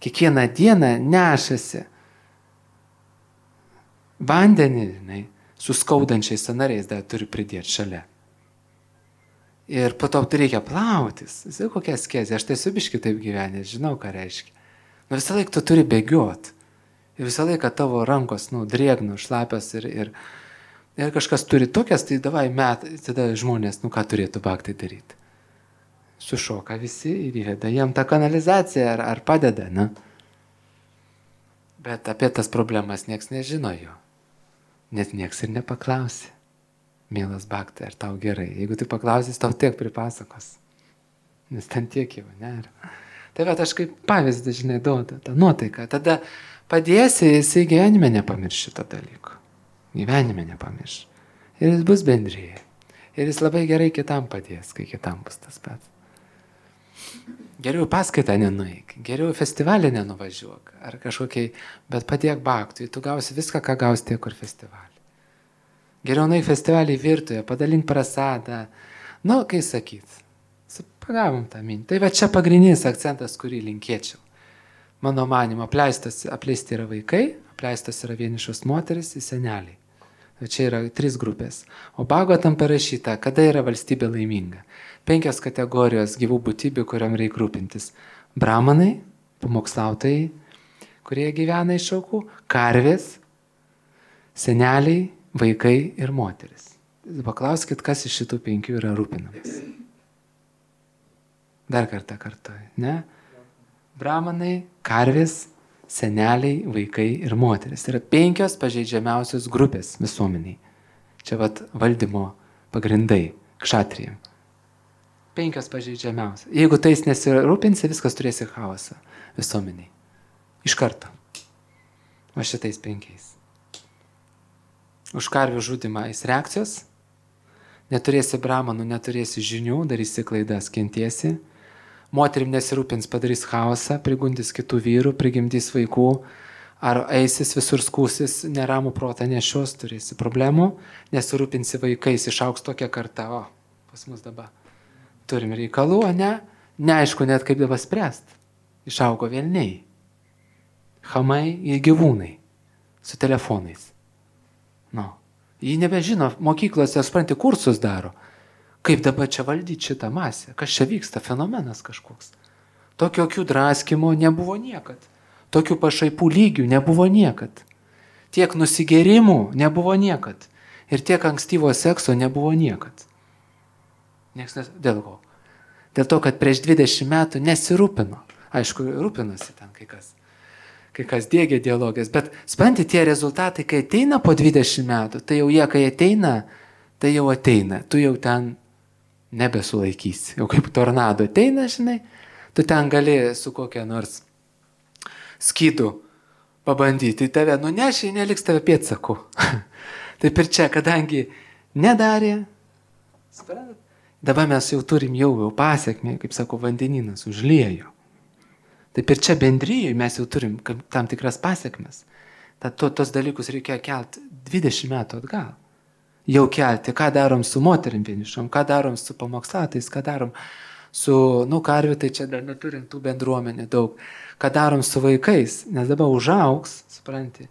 kiekvieną dieną nešasi vandenį, žinai, su skaudančiais sąnariais dar turi pridėti šalia. Ir po to tu reikia plautis. Jis kokia askezė, aš tai subiški taip gyvenęs, žinau, ką reiškia. Nu visą laiką tu turi bėgiot. Ir visą laiką tavo rankos, nu, drėgnų, šlapios ir, ir, ir kažkas turi tokias, tai davai met, tada žmonės, nu, ką turėtų baktai daryti. Sušoka visi ir įveda jam tą kanalizaciją ar, ar padeda, ne? Bet apie tas problemas nieks nežino jo. Net nieks ir nepaklausi. Mielas baktai, ar tau gerai? Jeigu tu paklausis, tau tiek pripasakos. Nes ten tiek jau, ne? Tai bet aš kaip pavyzdį, žinai, duodu tą nuotaiką. Tada padėsi, jisai gyvenime nepamirš šito dalyko. Gyvenime nepamirš. Ir jis bus bendryje. Ir jis labai gerai kitam padės, kai kitam bus tas pats. Geriau paskaitą nenueik, geriau festivalį nenuvažiuok, ar kažkokiai, bet padėk baktui, tu gausi viską, ką gausi tiek kur festivalį. Geriau nueik festivalį virtuje, padalink prasadą, nu, kai sakyt. Pagavom tą mintį. Tai va čia pagrindinis akcentas, kurį linkėčiau. Mano manimo, apleistas, apleisti yra vaikai, apleistas yra vienišos moteris ir seneliai. Čia yra trys grupės. O Bhagavatam parašyta, kada yra valstybė laiminga. Penkios kategorijos gyvų būtybių, kuriam reikia rūpintis. Brahmanai, pamokslautojai, kurie gyvena iš aukų, karvės, seneliai, vaikai ir moteris. Paklauskit, kas iš šitų penkių yra rūpinamas. Dar kartą kartuoju, ne? Brahmanai, karvės, seneliai, vaikai ir moteris. Tai yra penkios pažeidžiamiausios grupės visuomeniai. Čia vat valdymo pagrindai, kšatrijam. Penkios pažeidžiamiausios. Jeigu tais nesirūpinsi, viskas turėsi chaosą visuomeniai. Iš karto. O šitais penkiais. už karvių žudimą eis reakcijos, neturėsi bramanų, neturėsi žinių, darysi klaidas, kentiesi, moterim nesirūpins, padarys chaosą, prigundys kitų vyrų, prigimdys vaikų, ar eisis visur skūsis, neramų protą nešios, turėsi problemų, nesirūpinsi vaikais, išauks tokia karta, o pas mus dabar turim reikalų, o ne, neaišku net kaip dabar spręst, išaugo velniai, chamai ir gyvūnai, su telefonais. Nu, jį nebežino, mokyklose, supranti, kursus daro. Kaip dabar čia valdyti šitą masę? Kas čia vyksta? Fenomenas kažkoks. Tokio akių draskimo nebuvo niekad. Tokių pašaipų lygių nebuvo niekad. Tiek nusigerimų nebuvo niekad. Ir tiek ankstyvo sekso nebuvo niekad. Nieks nes... Dėl ko? Dėl to, kad prieš dvidešimt metų nesirūpino. Aišku, rūpinosi ten kai kas. Kai kas dėgia dialogės, bet supranti, tie rezultatai, kai ateina po dvidešimt metų, tai jau jie, kai ateina, tai jau ateina, tu jau ten nebesulaikysi, jau kaip tornado ateina, žinai, tu ten gali su kokia nors skydu pabandyti, tave nunešiai, neliks tave pėdsakų. Taip ir čia, kadangi nedarė, suprantat, dabar mes jau turim jau, jau pasiekmę, kaip sako, vandeninas užliejo. Taip ir čia bendryje mes jau turim tam tikras pasiekmes. Tad to, tos dalykus reikia kelti dvidešimt metų atgal. Jau kelti, ką darom su moterim vienišom, ką darom su pamokslatais, ką darom su, nu, karvių, tai čia dar neturim tų bendruomenė daug. Ką darom su vaikais, nes dabar užaugs, supranti.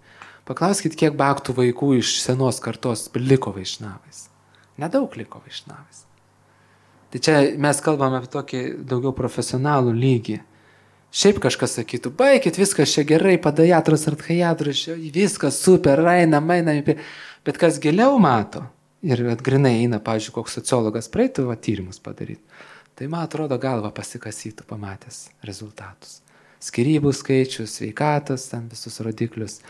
Paklauskit, kiek baktų vaikų iš senos kartos liko vaišnavais. Nedaug liko vaišnavais. Tai čia mes kalbame apie tokį daugiau profesionalų lygį. Šiaip kažkas sakytų, baikit, viskas čia gerai, padajatras, artchajatras, viskas super, eina, maina, bet kas giliau mato, ir grinai eina, pavyzdžiui, koks sociologas praeitų va, tyrimus padaryti, tai man atrodo galva pasikasytų pamatęs rezultatus. Skyrybų skaičius, sveikatos, ten visus rodiklius,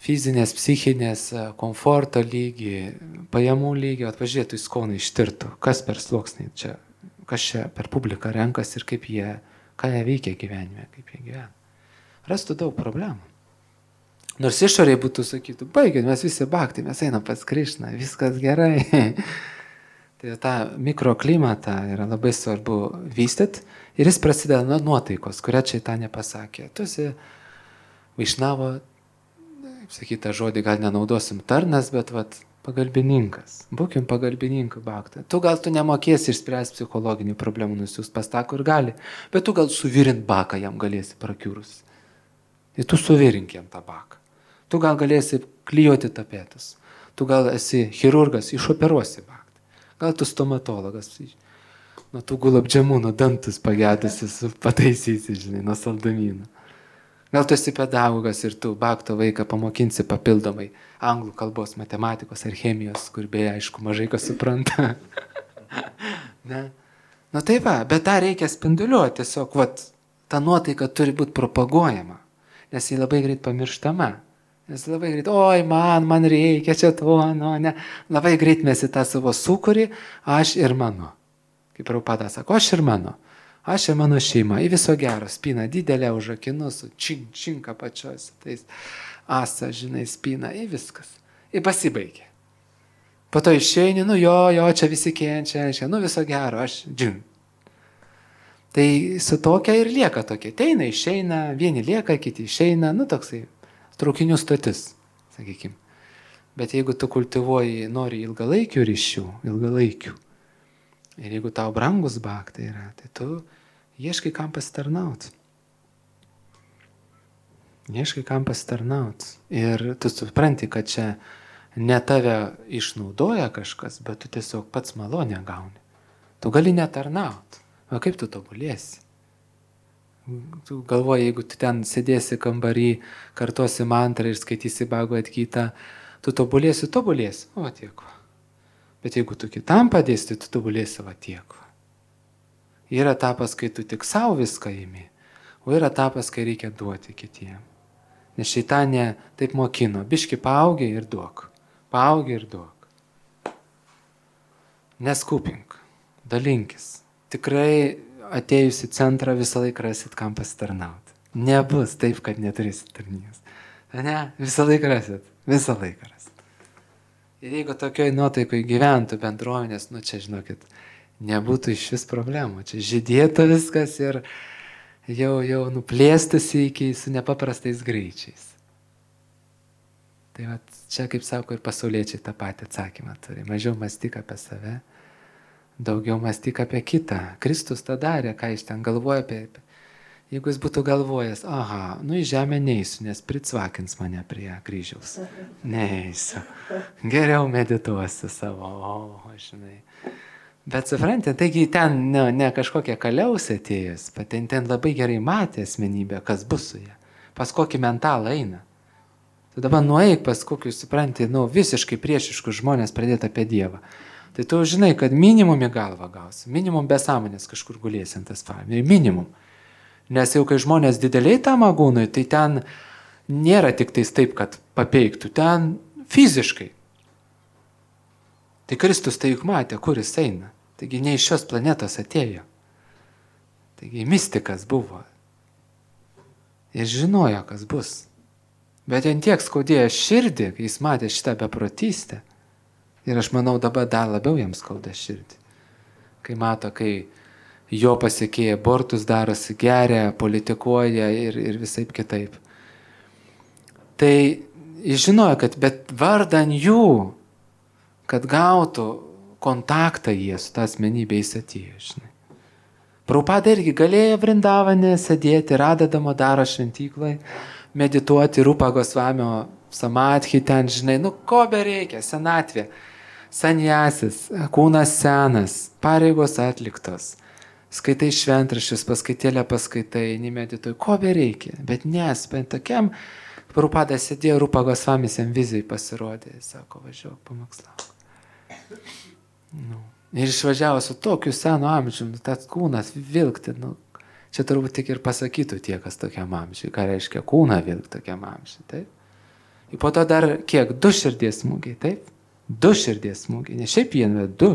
fizinės, psichinės, komforto lygį, pajamų lygį, atpažiūrėtų į skoną ištirtų, kas per sluoksnį čia, kas čia per publiką renkas ir kaip jie, ką jie veikia gyvenime, kaip jie gyvena. Rastų daug problemų. Nors išoriai būtų sakytų, baigit, mes visi baktai, mes einam pas Krišną, viskas gerai. Tai tą mikroklimatą yra labai svarbu vystyti ir jis prasideda nuo nuotaikos, kurią čia tą nepasakė. Tu esi vaišnavo, sakytą žodį gal nenaudosim tarnas, bet vat, pagalbininkas. Būkim pagalbininkų baktą. Tu gal tu nemokėsi išspręsti psichologinių problemų, nusiūs pas taką ir gali, bet tu gal suvirint baką jam galėsi prakiūrus. Ir tu suvirink jam tą baką. Tu gal galėsi klijuoti tapetus. Tu gal esi chirurgas, išoperuosi baktą. Gal tu stomatologas. Nuo tų gulabdžiamūnų dantus pagėdusis pataisysi, žinai, nuo saldamynų. Gal tu esi pedagogas ir tu bakto vaiką pamokinsi papildomai anglų kalbos, matematikos ar chemijos, kur beje, aišku, mažai kas supranta. Ne? Nu taip, va, bet tą reikia spinduliuoti, tiesiog, vat, ta nuotaika turi būti propaguojama, nes ji labai greit pamirštama. Nes labai greit, oi, man, man reikia čia to, nu, ne. Labai greit mes į tą savo sukūrį, aš ir mano. Kaip Prabhupada sako, aš ir mano. Aš ir mano šeima, į viso gero, spina didelė už akinų, su čink, čink apačios, tais asa, žinai, spina, į viskas. Ir pasibaigė. Po to išeini, nu jo, jo, čia visi kenčia, čia, nu viso gero, aš džin. Tai su tokia ir lieka tokia. Teina, išeina, vieni lieka, kiti išeina, nu toksai traukinių stotis, sakykim. Bet jeigu tu kultivuoji, nori ilgalaikių ryšių, ilgalaikių, ir jeigu tau brangus baktai yra, tai tu ieškai kam pasitarnaut. Ieškai kam pasitarnaut. Ir tu supranti, kad čia ne tave išnaudoja kažkas, bet tu tiesiog pats malonę gauni. Tu gali netarnaut. O kaip tu tobulėsi? Tu galvoji, jeigu tu ten sėdėsi kambarį, kartosi mantrą ir skaitysi Bhagavad Gitą, tu tobulėsi, tobulėsi. O tiek. Bet jeigu tu kitam padėsi, tai tu tobulėsi va tiek. Yra etapas, kai tu tik savo viską imi, o yra etapas, kai reikia duoti kitiem. Nes šeitanė taip mokino, biški paaugi ir duok, paaugi ir duok. Neskupink, dalinkis. Tikrai atėjus į centrą visą laiką rasit, kam pasitarnauti. Nebus taip, kad neturėsit tarnybos. Ne, visą laiką rasit, visą laiką rasit. Ir jeigu tokioj nuotaikoj gyventų bendruomenės, nu čia žinokit, nebūtų iš vis problemų. Čia žydėtų viskas ir jau, jau nuplėstųsi iki su nepaprastais greičiais. Tai va, čia, kaip sako, ir pasauliečiai tą patį atsakymą turi. Mažiau mąstyk apie save, daugiau mąstyk apie kitą. Kristus tą darė, ką jis ten galvoja apie. Jeigu jis būtų galvojęs, aha, nu į žemę neįsiu, nes pricvakins mane prie kryžiaus. Neįsiu. Geriau medituosiu savo, o, žinai. Bet suprantate, taigi ten ne, ne kažkokia kaliausė atėjus, bet ten, ten labai gerai matė asmenybę, kas bus su ją. Pas kokį mentalą eina. Tai dabar nueik pas kokius, suprantate, nu, visiškai priešiškus žmonės pradėti apie Dievą. Tai tu žinai, kad minimum į galvą gausi, minimum besąmonės kažkur gulėsi ant tas faimė, minimum. Nes jau kai žmonės dideliai tam agūnui, tai ten nėra tik tais taip, kad papeiktų, ten fiziškai. Tai Kristus tai juk matė, kur jis eina. Taigi ne iš šios planetos atėjo. Taigi mistikas buvo. Ir žinojo, kas bus. Bet jam tiek skaudėjo širdį, kai jis matė šitą beprotystę. Ir aš manau, dabar dar labiau jam skauda širdį. Kai mato, kai jo pasiekėja abortus darosi, geria, politikuoja ir, ir visaip kitaip. Tai jis žinojo, kad bet vardan jų, kad gautų kontaktą jie su tą asmenybę jis atėjo, žinai. Prabhupada irgi galėjo Vrindavane sėdėti, Radha Damodaro šventyklai, medituoti Rupa Gosvamio samadhi ten, žinai, nu ko bereikia, senatvė, sanjasis, kūnas senas, pareigos atliktos. Skaitai šventraščius, paskaitėlę paskaitai, nemedituoji, ko bereikia, bet nes, bent tokiam, Prabhupada sėdėjo, Rupa Gosvamis jam vizijai pasirodė, sako, važiuok, pamokslauk. Nu. Ir išvažiavo su tokiu senu amžiumi, tas kūnas vilkti, nu, čia turbūt tik ir pasakytų tie, kas tokiam amžiui, ką reiškia kūną vilkti tokiam amžiui, taip? Ir po to dar kiek, du širdies smūgiai, taip? Du širdies smūgiai, ne šiaip vieną, du.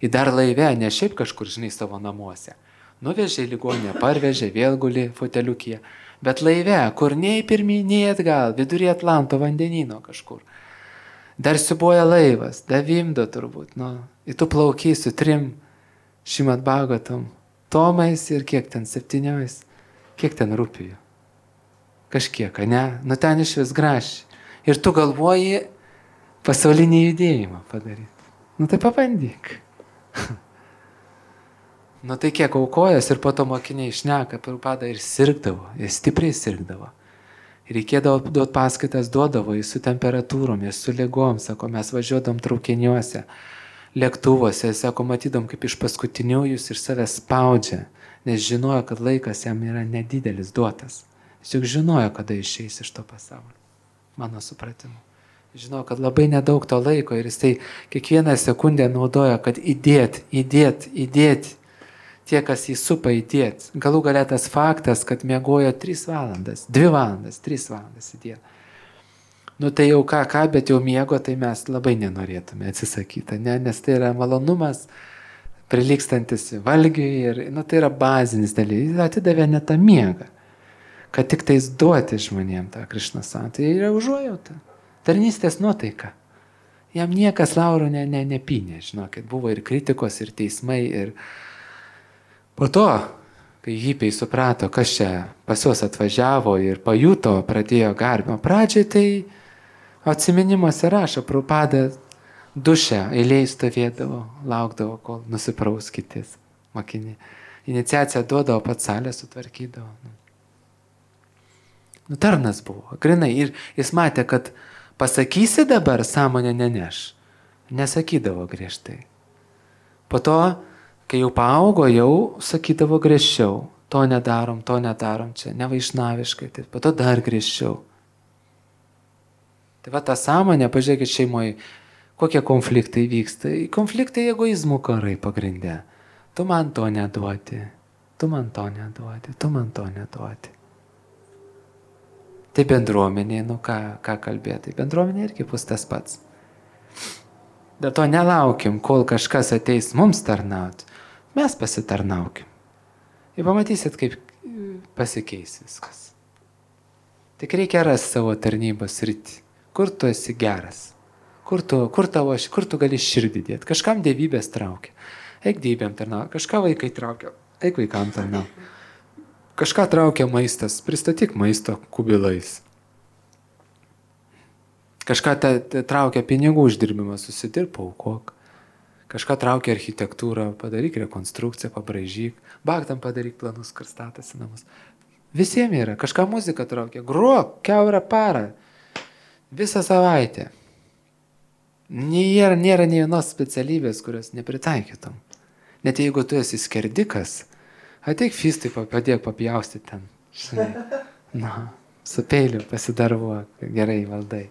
Į dar laive, ne šiaip kažkur, žinai, savo namuose. Nuvežė į ligoninę, parvežė, vėl guli foteliukyje. Bet laive, kur nei pirmyn, nei atgal, vidury Atlanto vandenyno kažkur. Dar siubuoja laivas, davimdo turbūt, nu. Ir tu plaukiai su trim Šimad Bhagavatam tomais ir kiek ten, septyniais, kiek ten rūpijų. Kažkiek, ne? Nu ten iš vis gražiai. Ir tu galvoji pasaulinį judėjimą padaryti. Nu tai pabandyk. Nu tai kiek aukojęs ir po to mokiniai šneka, Prabhupada ir sirgdavo, ir stipriai sirgdavo. Ir reikėdavo duoti paskaitas, duodavo ir su temperatūrom, ir su ligom, sako, mes važiuodom traukiniuose, lėktuvuose, sako, matydom, kaip iš paskutinių jūs ir save spaudžia, nes žinojo, kad laikas jam yra nedidelis duotas. Jis juk žinojo, kada išeis iš to pasaulio, mano supratimu. Žinau, kad labai nedaug to laiko ir jis tai kiekvieną sekundę naudoja, kad įdėt, įdėt, įdėt, tie, kas jį supa įdėt. Galų galia tas faktas, kad miegojo tris valandas, dvi valandas, tris valandas įdėt. Nu tai jau ką, ką, bet jau miego, tai mes labai nenorėtume atsisakyti, ne? Nes tai yra malonumas, prilykstantis valgiui ir nu, tai yra bazinis dalykas. Jis atidavė ne tą miegą, kad tik tais duoti žmonėm tą Krišnasą. Tai yra užuojauta. Tarnystės nuotaika. Jam niekas laurų ne, ne, nepynė, žinokit, buvo ir kritikos, ir teismai, ir po to, kai hipiai suprato, kas čia pas juos atvažiavo ir pajuto, pradėjo garbimo pradžiai, tai atsiminimuose rašo, Prabhupada duše eilėj stovėdavo, laukdavo, kol nusipraus kitis mokiniai. Iniciaciją duodavo, pats salę sutvarkydavo. Nu, tarnas buvo, grinai, ir jis matė, kad pasakysi dabar, sąmonę neneš. Nesakydavo griežtai. Po to, kai jau paaugo, jau sakydavo griežčiau. To nedarom, to nedarom, čia nevaišnaviškai. Tai po to dar griežčiau. Tai va ta sąmonė, pažiūrėkit šeimoje, kokie konfliktai vyksta. Konfliktai egoizmų karai pagrindė. Tu man to neduoti, tu man to neduoti, tu man to neduoti. Tai bendruomenė, nu ką, ką kalbėti, tai bendruomenė irgi bus tas pats. Dėl to nelaukim, kol kažkas ateis mums tarnauti, mes pasitarnaukim. Ir pamatysit, kaip pasikeis viskas. Tik reikia rasti savo tarnybos sritį, kur tu esi geras, Kur tu, kur tavo, kur tu gali širdį dėti? Kažkam dievybės traukia. Eik dievybėm tarnauti. Kažką vaikai traukia. Eik vaikam tarnauti. Kažką traukia maistas. Pristatyk maisto kubilais. Kažką te, te traukia pinigų uždirbimas. Susidirb, aukok. Kažką traukia architektūrą. Padaryk rekonstrukciją, pabraižyk. Baktam padaryk planus, kur statasi namus. Visiems yra. Kažką muzika traukia. Gruok, kiaurą parą. Visą savaitę. Nėra, nėra nei vienos specialybės, kurios nepritaikytum. Net jeigu tu esi skerdikas, ateik fistai, padėk papjaustyti ten. Žinai. Na, su peiliu pasidarbuok, gerai valdai.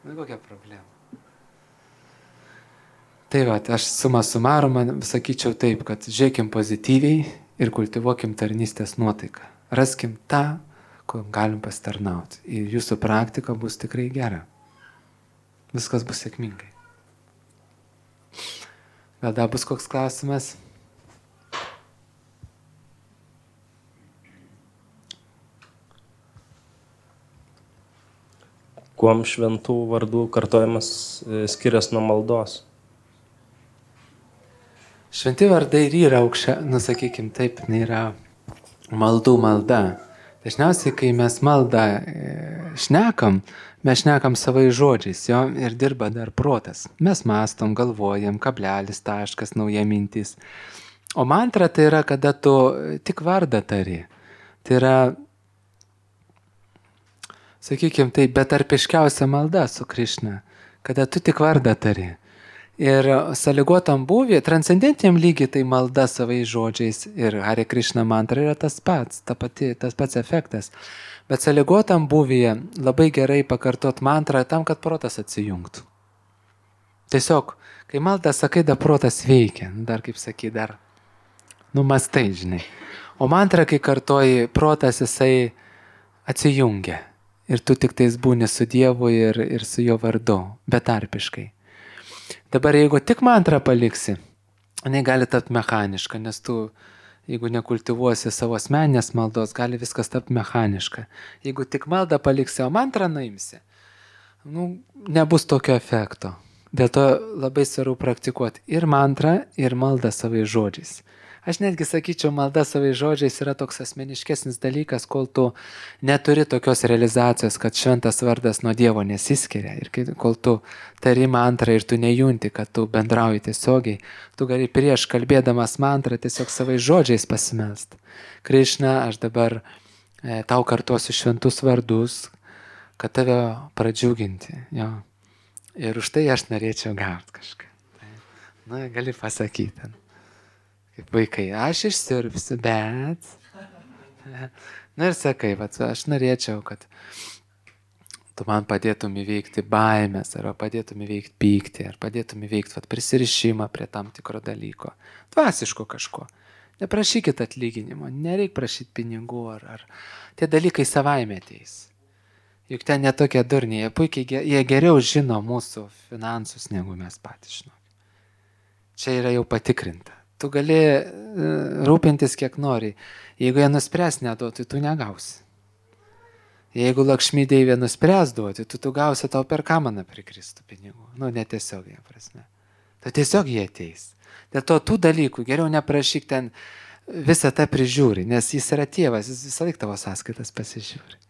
Na, kokia problema. Tai va, aš suma sumarum, sakyčiau taip, kad žiūrėkim pozityviai ir kultivuokim tarnystės nuotaiką. Raskim tą, ko galim pasitarnauti. Ir jūsų praktika bus tikrai gera. Viskas bus sėkmingai. Gal dar bus koks klausimas?
Kuom šventų vardų kartojimas skiriasi nuo maldos?
Šventi vardai ir yra aukščia, nu sakykim taip, nėra maldų malda. Dažniausiai, kai mes maldą šnekam, mes šnekam savai žodžiais, jo, ir dirba dar protas. Mes mąstom, galvojam, kablelis, taškas, nauja mintis. O mantra tai yra, kada tu tik vardą tari. Tai yra, sakykim, tai betarpiškiausia malda su Krišna, kada tu tik vardą tari. Ir sąlygotam būvį, transcendentiniam lygiai tai malda savai žodžiais ir Hare Krishna mantra yra tas pats, ta pati, tas pats efektas. Bet sąlygotam būvyje labai gerai pakartot mantrą tam, kad protas atsijungtų. Tiesiog, kai maldą sakai, da protas veikia, dar kaip sakai, dar numastai, žinai. O mantrą, kai kartoji, protas jisai atsijungia. Ir tu tik tais būni su Dievu ir, ir su jo vardu, betarpiškai. Dabar jeigu tik mantrą paliksi, jinai gali tapti mechaniška, nes tu, jeigu nekultivuosi savo asmeninės maldos, gali viskas tapti mechaniška. Jeigu tik maldą paliksi, o mantrą naimsi, nu, nebus tokio efekto. Dėl to labai svarbu praktikuoti ir mantrą, ir maldą savai žodžiais. Aš netgi sakyčiau, malda savai žodžiais yra toks asmeniškesnis dalykas, kol tu neturi tokios realizacijos, kad šventas vardas nuo Dievo nesiskiria. Ir kol tu tari mantrą ir tu nejunti, kad tu bendrauji tiesiogiai, tu gali prieš kalbėdamas mantrą tiesiog savai žodžiais pasimelst. Krišna, aš dabar e, tau kartuosiu šventus vardus, kad tave pradžiuginti. Jo. Ir už tai aš norėčiau gauti kažką. Na, gali pasakyti. Kaip vaikai, aš išsiurbsiu, bet... Na ir sakai, vat, aš norėčiau, kad tu man padėtum įveikti baimės, ar padėtum įveikti pyktį, ar padėtum įveikti vat, prisirišimą prie tam tikro dalyko. Dvasiško kažko. Neprašykit atlyginimo, nereik prašyti pinigų, ar, ar tie dalykai savaime ateis. Juk ten netokie durniai, jie puikiai, jie geriau žino mūsų finansus, negu mes patys žinome. Čia yra jau patikrinta. Tu gali rūpintis kiek nori. Jeigu jie nuspręs neduoti, tu negausi. Jeigu Lakšmi Deivė nuspręs duoti, tu, tu gausi, tau per kamaną prikristų pinigų. Nu, netiesiogiai prasme. Tai tiesiog jie ateis. Dėl to tų dalykų geriau neprašyk ten visą tą prižiūri, nes jis yra tėvas, jis visą laiką tavo sąskaitas pasižiūri.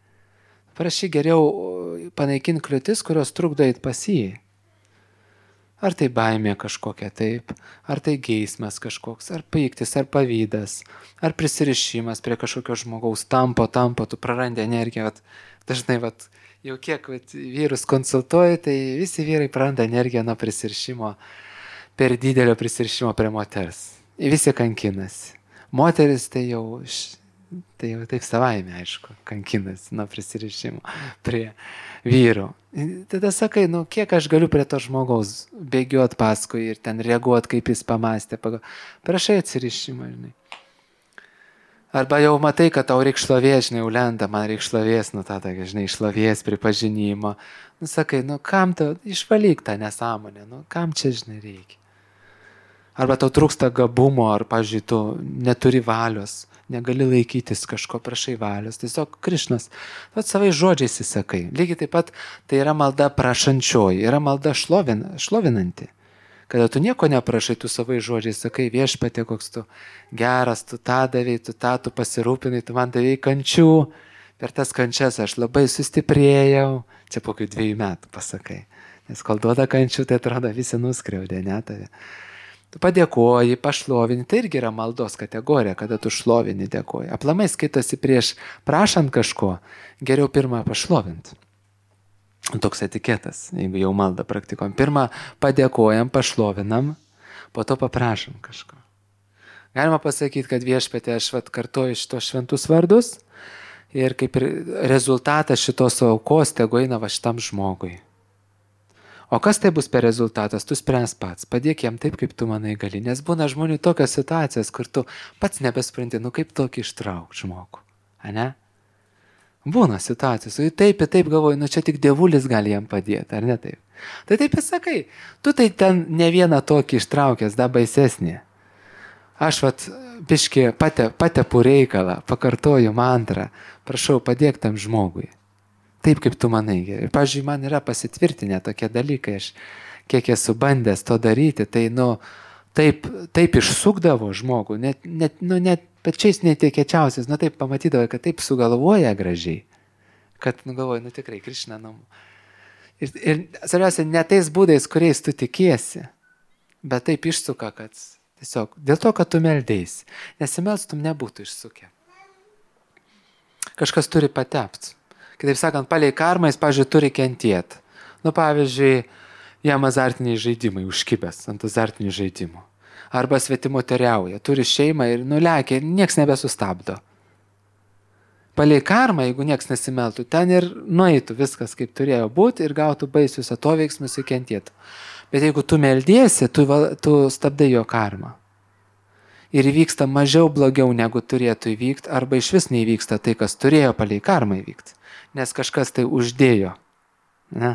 Prašyk geriau panaikinti kliūtis, kurios trukdo eit pas jį. Ar tai baimė kažkokia taip, ar tai geismas kažkoks, ar pyktis, ar pavydas, ar prisirišimas prie kažkokio žmogaus, tampo, tampo, tu prarandi energiją. Vat, dažnai, vat, jau kiek vat, vyrus konsultuoju, tai visi vyrai praranda energiją nuo prisirišimo, per didelio prisirišimo prie moters. Visi kankinasi. Moteris tai jau, tai jau taip savaime, aišku, kankinasi nuo prisirišimo prie vyrų. Tada sakai, nu kiek aš galiu prie to žmogaus bėgiuot paskui ir ten reaguot, kaip jis pamastė. Prašai atsirišimą, žinai. Arba jau matai, kad tau reik šlovės, žinai, jau lenda, man reik šlovės, nu tada, žinai, šlovės pripažinimo. Nu sakai, nu kam tu, išvalyk tą nesąmonę, nu kam čia, žinai, reikia. Arba tau trūksta gabumo, ar, pavyzdžiui, tu neturi valios negali laikytis kažko, prašai valios, tiesiog Krišnas, vat savai žodžiais įsakai. Lygiai taip pat tai yra malda prašančioji, yra malda šlovin, šlovinanti. Kada tu nieko neprašai, tu savai žodžiais sakai, Viešpatie, koks tu geras, tu tą davei, tu tą, tu pasirūpinai, tu man davei kančių, per tas kančias aš labai sustiprėjau, čia po kokių dviejų metų pasakai. Nes kol duoda kančių, tai atrodo visi nuskriaudė, ne tave. Tu padėkoji, pašlovini, tai irgi yra maldos kategorija, kada tu šlovini, dėkoji. Aplamai skaitosi prieš prašant kažko, geriau pirmą pašlovinti. Toks etiketas, jeigu jau maldą praktikuojam. Pirmą padėkojam, pašlovinam, po to paprašom kažko. Galima pasakyti, kad Viešpatie aš vat kartoju šitos šventus vardus ir kaip ir rezultatas šitos aukos tegu eina va šitam žmogui. O kas tai bus per rezultatas, tu spręs pats, padėk jam taip, kaip tu manai gali, nes būna žmonių tokios situacijas, kur tu pats nebespranti, nu kaip tokį ištraukti žmogų, ane? Būna situacijos, ir taip ir taip galvoju, nu čia tik dievulis gali jam padėti, ar ne taip? Tai taip ir sakai, tu tai ten ne vieną tokį ištraukęs, da baisesnį. Aš vat biškį pate, patepu reikalą, pakartoju mantrą, prašau padėk tam žmogui. Taip, kaip tu manai. Ir, pavyzdžiui, man yra pasitvirtinę tokie dalykai, aš kiek esu bandęs to daryti, tai, nu, taip, taip išsukdavo žmogų, net, net, nu, net pačiais netikėčiausiais, nu, taip pamatydavo, kad taip sugalvoja gražiai, kad, nu, galvoju, nu, tikrai, Krišna, nu. Ir, ir, svarbiausia, ne tais būdais, kuriais tu tikiesi, bet taip išsuka, kad tiesiog, dėl to, kad tu meldėsi, nesimelstum nebūtų išsukę. Kažkas turi patepti. Kitaip sakant, palei karmą jis, pavyzdžiui, turi kentėti. Nu, pavyzdžiui, jam azartiniai žaidimai užkibęs ant azartinių žaidimų. Arba svetimo teriauja, turi šeimą ir nulekia ir nieks nebesustabdo. Palei karmą, jeigu nieks nesimeltų, ten ir nueitų viskas, kaip turėjo būti ir gautų baisius atoveiksmus ir kentėtų. Bet jeigu tu meldiesi, tu, tu stabdai jo karmą. Ir įvyksta mažiau blogiau, negu turėtų įvykti, arba iš vis neįvyksta tai, kas turėjo palei karmą įvykti. Nes kažkas tai uždėjo, ne,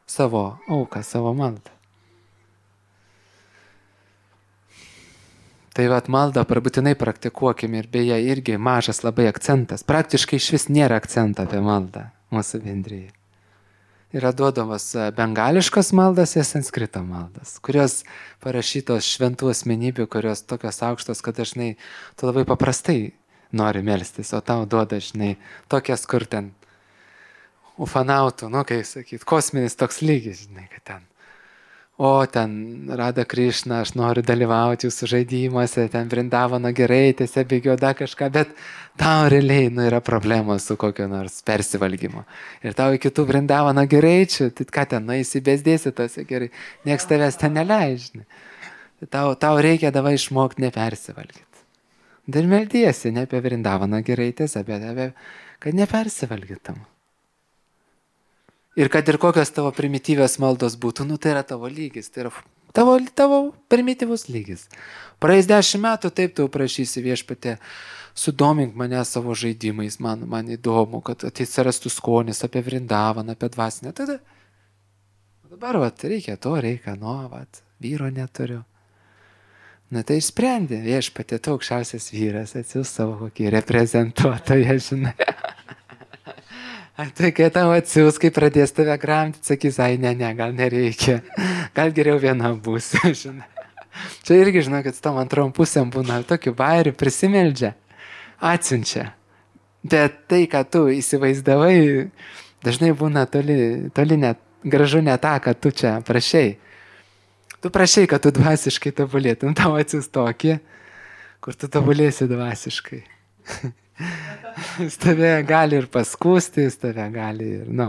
savo auką, savo maldą. Tai vat maldą būtinai praktikuokime ir beje irgi mažas labai akcentas. Praktiškai iš vis nėra akcento apie maldą mūsų bendrijai. Yra duodamas bengališkas maldas ir sanskrito maldas, kurios parašytos šventų asmenybių, kurios tokios aukštos, kad dažnai tu labai paprastai nori melstis, o tau duoda, žinai, tokias, kur ten ufanautų, nu, kaip sakyt, kosminis toks lygis, žinai, kad ten. O ten Rada Krišna, aš noriu dalyvauti jūsų žaidimuose, ten Vrindavano gerai, tiesiog bėgioda kažką, bet tau realiai, nu, yra problemos su kokio nors persivalgymo. Ir tau iki tų Vrindavano gereičių, tai ką ten, nu, įsibėsdėsi tose gerai, nieks tavęs ten neleidžia. Tau, tau reikia davai išmokti nepersivalgyti. Dar meldiesi ne apie Vrindavano geraitės, bet apie, kad nepersivalgytum. Ir kad ir kokios tavo primityvios maldos būtų, nu tai yra tavo lygis, tai yra tavo, tavo primityvus lygis. Praeis dešimt metų, taip tu prašysi Viešpatie, sudomink mane savo žaidimais, man, man įdomu, kad atsirastų skonis apie Vrindavaną, apie dvasinę. Tada, dabar, vat, reikia to, reikia, nu, vat, vyro neturiu. Na tai išsprendė, Viešpatie, tu aukščiausias vyras, atsiūs savo kokį reprezentuotoją, žinai. Tai kai tau atsiūs, kai pradės tave gramdyti, sakys, ai, ne, ne, gal nereikia, gal geriau viena būsi, žinai. Čia irgi, žinau, kad su tom antrom pusėm būna tokių bairių, prisimeldžia, atsiunčia. Bet tai, ką tu įsivaizdavai, dažnai būna toli, toli net, gražu ne tą, kad tu čia prašai. Tu prašai, kad tu dvasiškai tobulėtum, tau atsiūs tokį, kur tu tobulėsi dvasiškai. Jis tave gali ir paskūsti, jis tave gali ir, nu,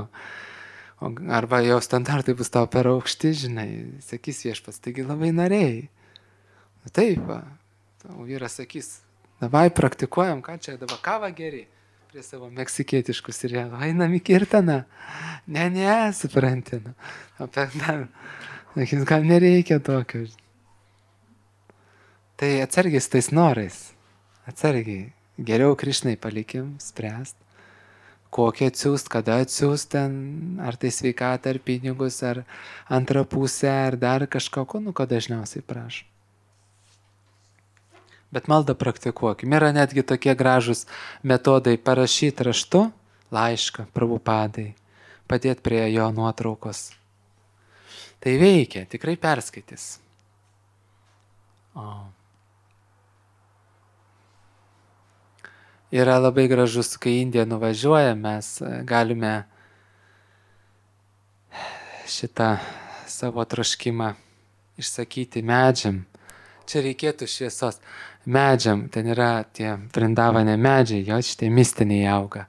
arba jo standartai bus tau per aukšti, žinai, sakys Viešpats, taigi labai norėjai. Taip, va, tavo vyras sakys, davai praktikuojam, ką čia dabar, kavą geri, prie savo meksikietiškus ir jie, einam į kirtaną. Ne, ne, supranti, nu, apie ten, sakys, gal nereikia tokio. Tai atsargiai su tais norais, atsargiai. Geriau Krišnai palikim, spręst, kokį atsiūst, kada atsiūst ten, ar tai sveikatą, ar pinigus, ar antrą pusę, ar dar kažką, ko, nu, ko dažniausiai prašom. Bet maldą praktikuokim. Yra netgi tokie gražus metodai parašyti raštu, laišką, Prabhupadai, padėti prie jo nuotraukos. Tai veikia, tikrai perskaitys. O. Yra labai gražus, kai į Indiją nuvažiuoja, mes galime šitą savo troškimą išsakyti medžiam. Čia reikėtų šviesos. Medžiam, ten yra tie Vrindavane medžiai, jo šitie mistiniai auga,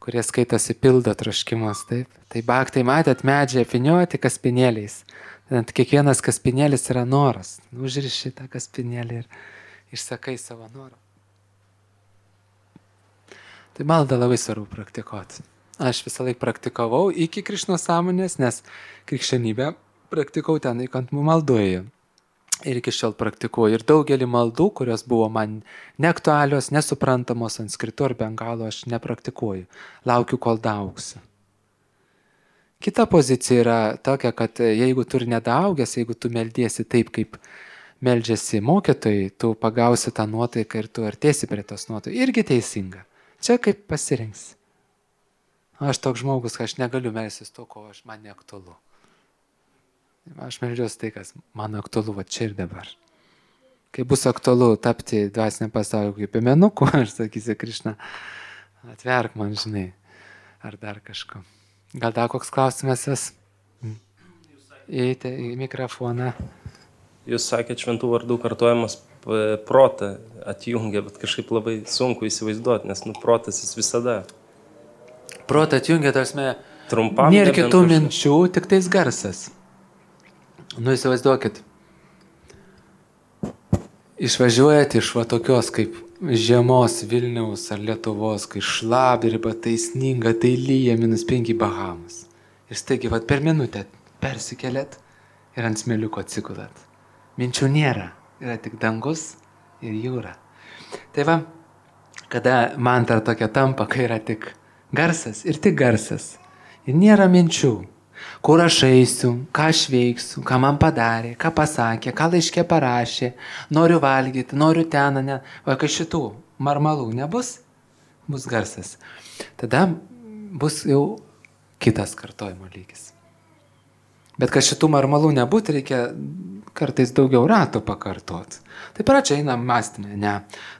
kurie skaitosi pildo troškimus, taip. Tai bhaktai matėt medžiai apvynioti kaspinėliais. Tad kiekvienas kaspinėlis yra noras. Užriši tą kaspinėlį ir išsakai savo norą. Tai maldą labai svarbu praktikuoti. Aš visą laiką praktikavau iki Krišnos sąmonės, nes krikščionybę praktikau ten įkantumų maldoje. Ir iki šiol praktikuoju. Ir daugelį maldų, kurios buvo man neaktualios, nesuprantamos sanskritu ar bengalo, aš nepraktikuoju. Laukiu, kol daaugsiu. Kita pozicija yra tokia, kad jeigu tu ir nedaaugęs, jeigu tu meldiesi taip, kaip meldžiasi mokytojai, tu pagausi tą nuotaiką ir tu artėsi prie tos nuotaikos. Irgi teisinga. Čia kaip pasirinksi. Aš toks žmogus, kad aš negaliu melstis to, ko aš man neaktualu. Aš meldžiuosi tai, kas man aktualu va čia ir dabar. Kai bus aktualu tapti dvasinę pasaulio kaip piemenuku, aš sakysiu, Krišna, atverk man, žinai, ar dar kažko. Gal dar koks klausimas jas? Įeite į mikrofoną.
Jūs sakėt, šventų vardų kartojimas protą atjungia, bet kažkaip labai sunku įsivaizduoti, nes nu, protas jis visada.
Protą atjungia, tarsime,
trumpam.
Nėra kitų kažkas... minčių, tik tais garsas. Nu, įsivaizduokit, išvažiuojat iš va tokios kaip žiemos Vilniaus ar Lietuvos, kai šlapdriba, tai sninga, tai lyja, minus penki Bahamas. Ir staigi, va per minutę persikeliat ir ant smėliuko atsigulat. Minčių nėra, yra tik dangus ir jūra. Tai va, kada mantra tokia tampa, kai yra tik garsas ir tik garsas, ir nėra minčių. Kur aš eisiu, ką aš veiksiu, ką man padarė, ką pasakė, ką laiške parašė, noriu valgyti, noriu ten, ne. O kai šitų marmalų nebus, bus garsas. Tada bus jau kitas kartojimo lygis. Bet kad šitų marmalų nebūtų, reikia kartais daugiau ratų pakartoti. Tai pradžia eina mąstymė, ne,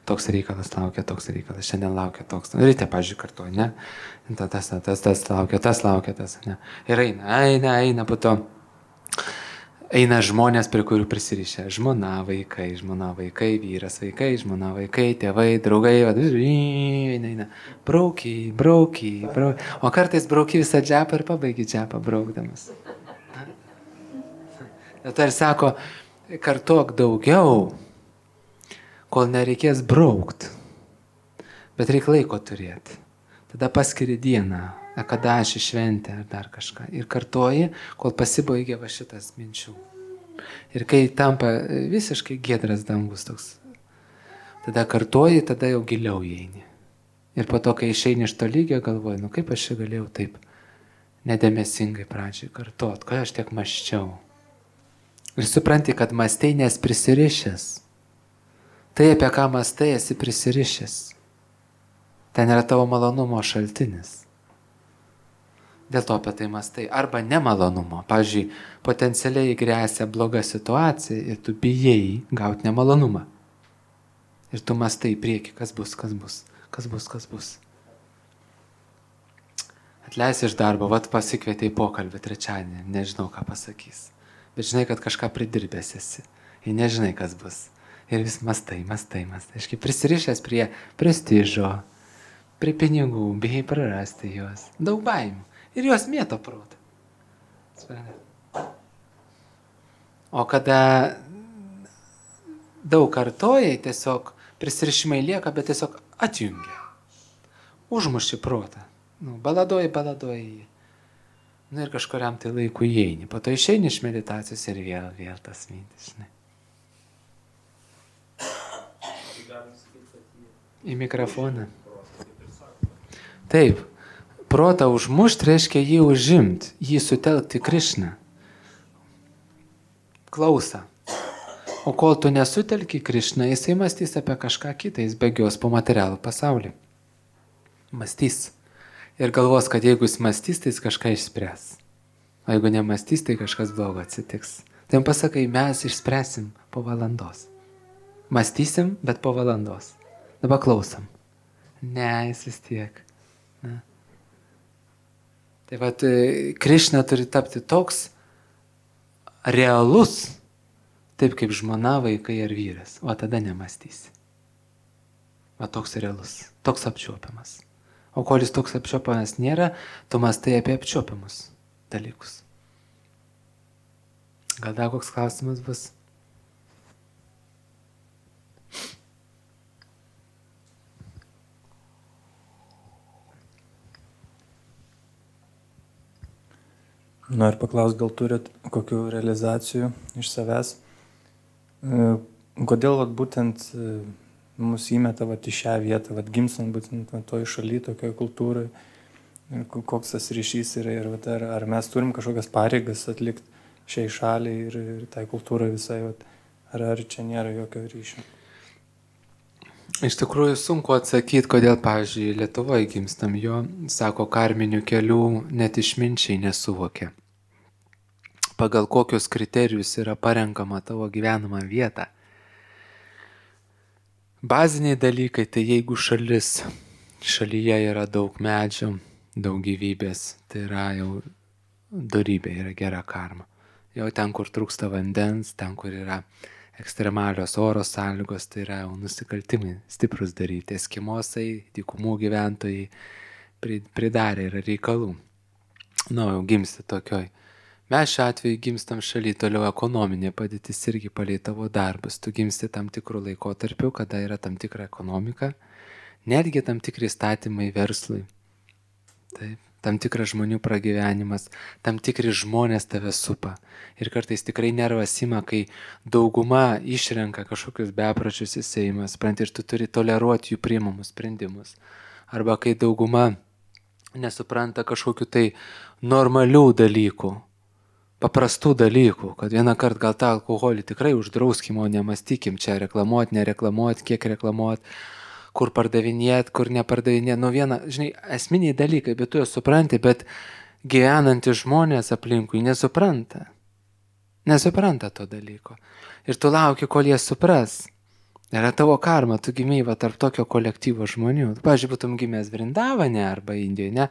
toks reikalas laukia, toks reikalas, šiandien laukia toks. Ryte, pažiūrėjau, kartuoju, ne, tas, tas, tas laukia, tas laukia, tas, ne. Ir eina, eina, eina, po to eina žmonės, prie kurių prisirišę. Žmona, vaikai, žmona, vaikai, vyras, vaikai, žmona, vaikai, tėvai, draugai, eina, eina, braukiai, braukiai, braukiai. O kartais braukiai visą džepą ir pabaigi džepą braukdamas. Tai ir sako, kartuok daugiau, kol nereikės braukt, bet reikia laiko turėti. Tada paskiri dieną, kada aš išventę ar dar kažką. Ir kartuoji, kol pasibaigia va šitas minčių. Ir kai tampa visiškai giedras dangus toks, tada kartuoji, tada jau giliau įeini. Ir po to, kai išeini iš to lygio, galvoji, nu kaip aš čia galėjau taip nedėmesingai pradžiai kartuot, kai aš tiek mąsčiau. Ir supranti, kad mąstai nes prisirišęs. Tai, apie ką mąstai, esi prisirišęs. Ten yra tavo malonumo šaltinis. Dėl to apie tai mąstai. Arba nemalonumo. Pavyzdžiui, potencialiai grėsia bloga situacija ir tu bijai gauti nemalonumą. Ir tu mąstai į priekį, kas bus, kas bus, kas bus, kas bus. Atleisi iš darbo, vat pasikvietė į pokalbį trečiadienį, nežinau, ką pasakys. Bet žinai, kad kažką pridirbęs esi. Ir nežinai, kas bus. Ir vis mastai, mastai, mastai. Aš kaip prisirišęs prie prestižo, prie pinigų, bijai prarasti juos. Daug baimių. Ir juos mėto protą. O kada daug kartojai, tiesiog prisirišimai lieka, bet tiesiog atjungia. Užmuši protą. Nu, baladoji, baladoji. Nu ir kažkuriam tai laiku įeini. Po to išeini iš meditacijos ir vėl, vėl tas mintis, žinai. Į mikrofoną. Taip. Protą užmušti reiškia jį užimti, jį sutelkti Krišną. Klausa. O kol tu nesutelki Krišną, jisai mąstys apie kažką kitą, jis bėgios po materialų pasaulį. Mąstys. Ir galvos, kad jeigu jis mąstys, tai jis kažką išspręs. O jeigu nemąstys, tai kažkas blogo atsitiks. Tai jam pasakai, mes išspręsim po valandos. Mąstysim, bet po valandos. Dabar klausom. Ne, jis vis tiek. Ne. Tai vat, Krišna turi tapti toks realus, taip kaip žmona, vaikai ar vyras, o tada nemąstysi. O toks realus, toks apčiuopiamas. O kol jis toks apčiuopiamas nėra, tu mąstai apie apčiuopiamus dalykus. Gal dar koks klausimas bus?
Noriu paklausti, gal turit kokių realizacijų iš savęs? Kodėl vat, būtent mus įmeta vat, į šią vietą, vat, gimstant būtent toj šaly, tokioje kultūrai, koks tas ryšys yra ir vat, ar, ar mes turim kažkokias pareigas atlikti šiai šaliai ir, ir tai kultūrai visai, vat, ar, ar čia nėra jokio ryšio?
Iš tikrųjų sunku atsakyti, kodėl, pavyzdžiui, Lietuvoje gimstam, jo, sako, karminių kelių net išminčiai nesuvokia. Pagal kokius kriterijus yra parenkama tavo gyvenamą vietą. Baziniai dalykai, tai jeigu šalis, šalyje yra daug medžių, daug gyvybės, tai yra jau dorybė, yra gera karma. Jau ten, kur trūksta vandens, ten, kur yra ekstremalios oro sąlygos, tai yra jau nusikaltimai stiprus daryti. Eskimosai, dykumų gyventojai pridarė yra reikalų. Nu, jau gimsti tokioj. Mes šiuo atveju gimstam šaly, toliau ekonominė padėtis irgi palei tavo darbus. Tu gimsti tam tikrų laikotarpių, kada yra tam tikra ekonomika, netgi tam tikri įstatymai verslui. Taip. Tam tikras žmonių pragyvenimas, tam tikri žmonės tave supa. Ir kartais tikrai nervas ima, kai dauguma išrenka kažkokius bepročius į Seimą, supranti, ir tu turi toleruoti jų priimamus sprendimus. Arba kai dauguma nesupranta kažkokiu tai normalių dalykų, paprastų dalykų, kad vieną kartą gal tą alkoholį tikrai uždrauskim, o nemastykim čia reklamuoti, nereklamuoti, kiek reklamuoti, kur pardavinėt, kur nepardavinėt. Nu viena, žinai, esminiai dalykai, bet tu juos supranti, bet gyvenantys žmonės aplinkui nesupranta. Nesupranta to dalyko. Ir tu lauki, kol jie supras. Yra tavo karma, tu gimei va tarp tokio kolektyvo žmonių. Tu, pavyzdžiui, būtum gimęs Vrindavane arba Indijoje, ne?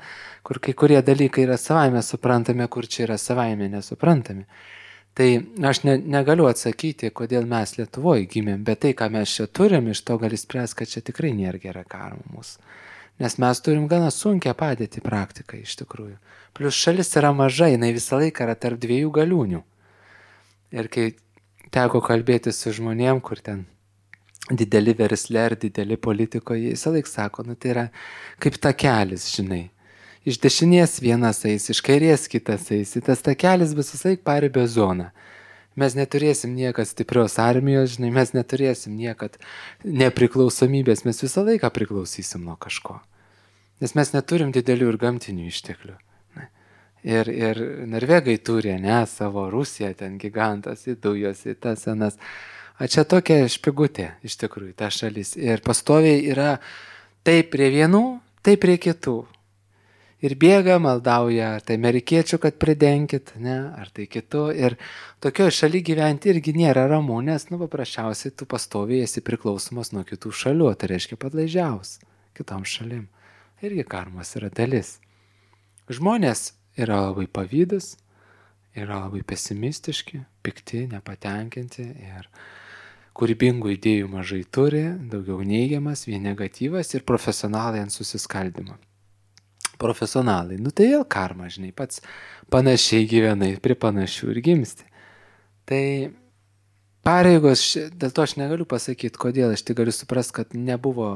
Kur kai kurie dalykai yra savaime suprantami, kur čia yra savaime nesuprantami. Tai aš ne, negaliu atsakyti, kodėl mes Lietuvoje gimėm, bet tai, ką mes čia turim, iš to gali spręs, kad čia tikrai nėra gera karma mūsų. Nes mes turim gana sunkią padėtį praktiką iš tikrųjų. Plius šalis yra maža, jinai visą laiką yra tarp dviejų galiūnių. Ir kai teko kalbėti su žmonėm, kur ten dideli versle ar dideli politikoje, visą laiką sako, nu tai yra kaip takelis, žinai. Iš dešinės vienas eis, iš kairės kitas eis, tas takelis bus visai paribio zona. Mes neturėsim niekad stiprios armijos, žinai, mes neturėsim niekad nepriklausomybės, mes visą laiką priklausysim nuo kažko. Nes mes neturim didelių ir gamtinių išteklių. Ir, ir Norvegai turi, ne, savo Rusiją, ten gigantas, į dujos, į tas senas. A čia tokia špigutė, iš tikrųjų, ta šalis. Ir pastoviai yra taip prie vienų, taip prie kitų. Ir bėga, maldauja, ar tai amerikiečių, kad pridenkit, ne, ar tai kitų. Ir tokioje šaly gyventi irgi nėra ramu, nes, nu, paprasčiausiai tu pastoviai esi priklausomas nuo kitų šalių, tai reiškia padlaižiaus kitom šalim. Irgi karmos yra dalis. Žmonės yra labai pavydus, yra labai pesimistiški, pikti, nepatenkinti ir kūrybingų idėjų mažai turi, daugiau neigiamas, vien negatyvas ir profesionalai ant susiskaldimo. Profesionalai, nu tai vėl karma, žinai, pats panašiai gyvenai, prie panašių ir gimsti. Tai pareigos, dėl to aš negaliu pasakyti, kodėl, aš tik galiu suprasti, kad nebuvo,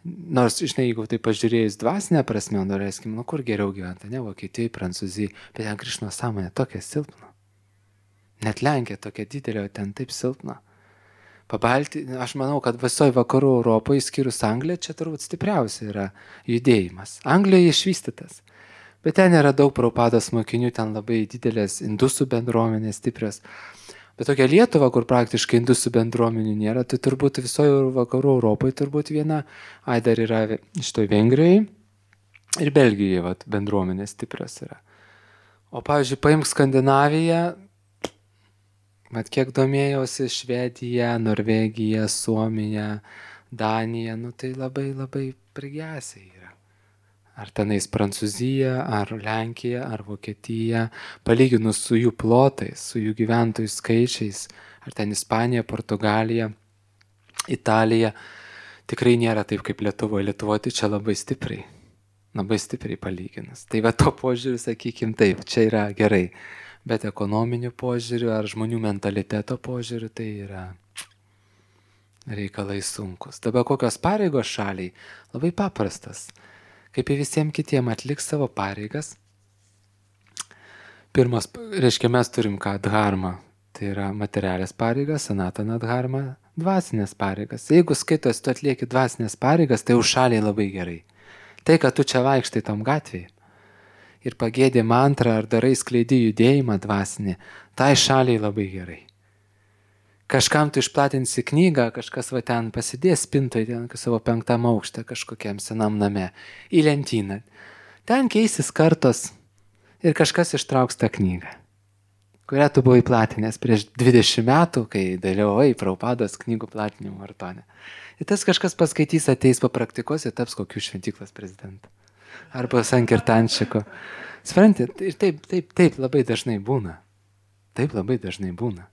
nors, žinai, jeigu tai pažiūrėjus dvasinę prasme, norėskim, nu kur geriau gyventa, ne Vokietijai, Prancūzijai, bet ten Krišnos sąmonė tokia silpna. Net Lenkija tokia didelė, ten taip silpna. Pabalti, aš manau, kad visoje vakarų Europoje, išskyrus Angliją, čia turbūt stipriausia yra judėjimas. Anglijoje išvystytas, bet ten yra daug Prabhupados mokinių, ten labai didelės indusų bendruomenės stiprios. Bet tokia Lietuva, kur praktiškai indusų bendruomenių nėra, tai turbūt visoje vakarų Europoje turbūt viena, ai dar yra šitoj Vengrijoje ir Belgijoje vat, bendruomenės stiprios yra. O pavyzdžiui, paimk Skandinaviją, mat kiek domėjausi, Švedija, Norvegija, Suomija, Danija, nu tai labai labai prigesiai yra. Ar tenais Prancūzija, ar Lenkija, ar Vokietija, palyginus su jų plotais, su jų gyventojų skaičiais, ar ten Ispanija, Portugalija, Italija, tikrai nėra taip kaip Lietuvoje. Lietuvoje tai čia labai stipriai, labai stipriai palyginus. Tai va to požiūriu, sakykim, taip, čia yra gerai, bet ekonominiu požiūriu ar žmonių mentaliteto požiūriu tai yra reikalai sunkus. Dabar kokios pareigos šaliai? Labai paprastas. Kaip ir visiems kitiem atliks savo pareigas. Pirmas, reiškia, mes turim ką dharma, tai yra materialės pareigas, sanatana dharma, dvasinės pareigas. Jeigu skaitos, tu atlieki dvasinės pareigas, tai už šaliai labai gerai. Tai, kad tu čia vaikštai tam gatvėje ir pagėdė mantrą ar darai skleidi judėjimą dvasinį, tai šaliai labai gerai. Kažkam tu išplatinsi knygą, kažkas va ten pasidės spintoje, ten savo penktam aukšte kažkokiam senam name, į lentyną. Ten keisis kartos ir kažkas ištrauks tą knygą, kurią tu buvai platinęs prieš dvidešimt metų, kai dalyvavai Prabhupados knygų platinimo maratone. Ir tas kažkas paskaitys, ateis papraktikos ir taps kokių šventyklos prezidentų. Arba Sankirtančiko. Suprantat, ir taip, taip, taip labai dažnai būna. Taip labai dažnai būna.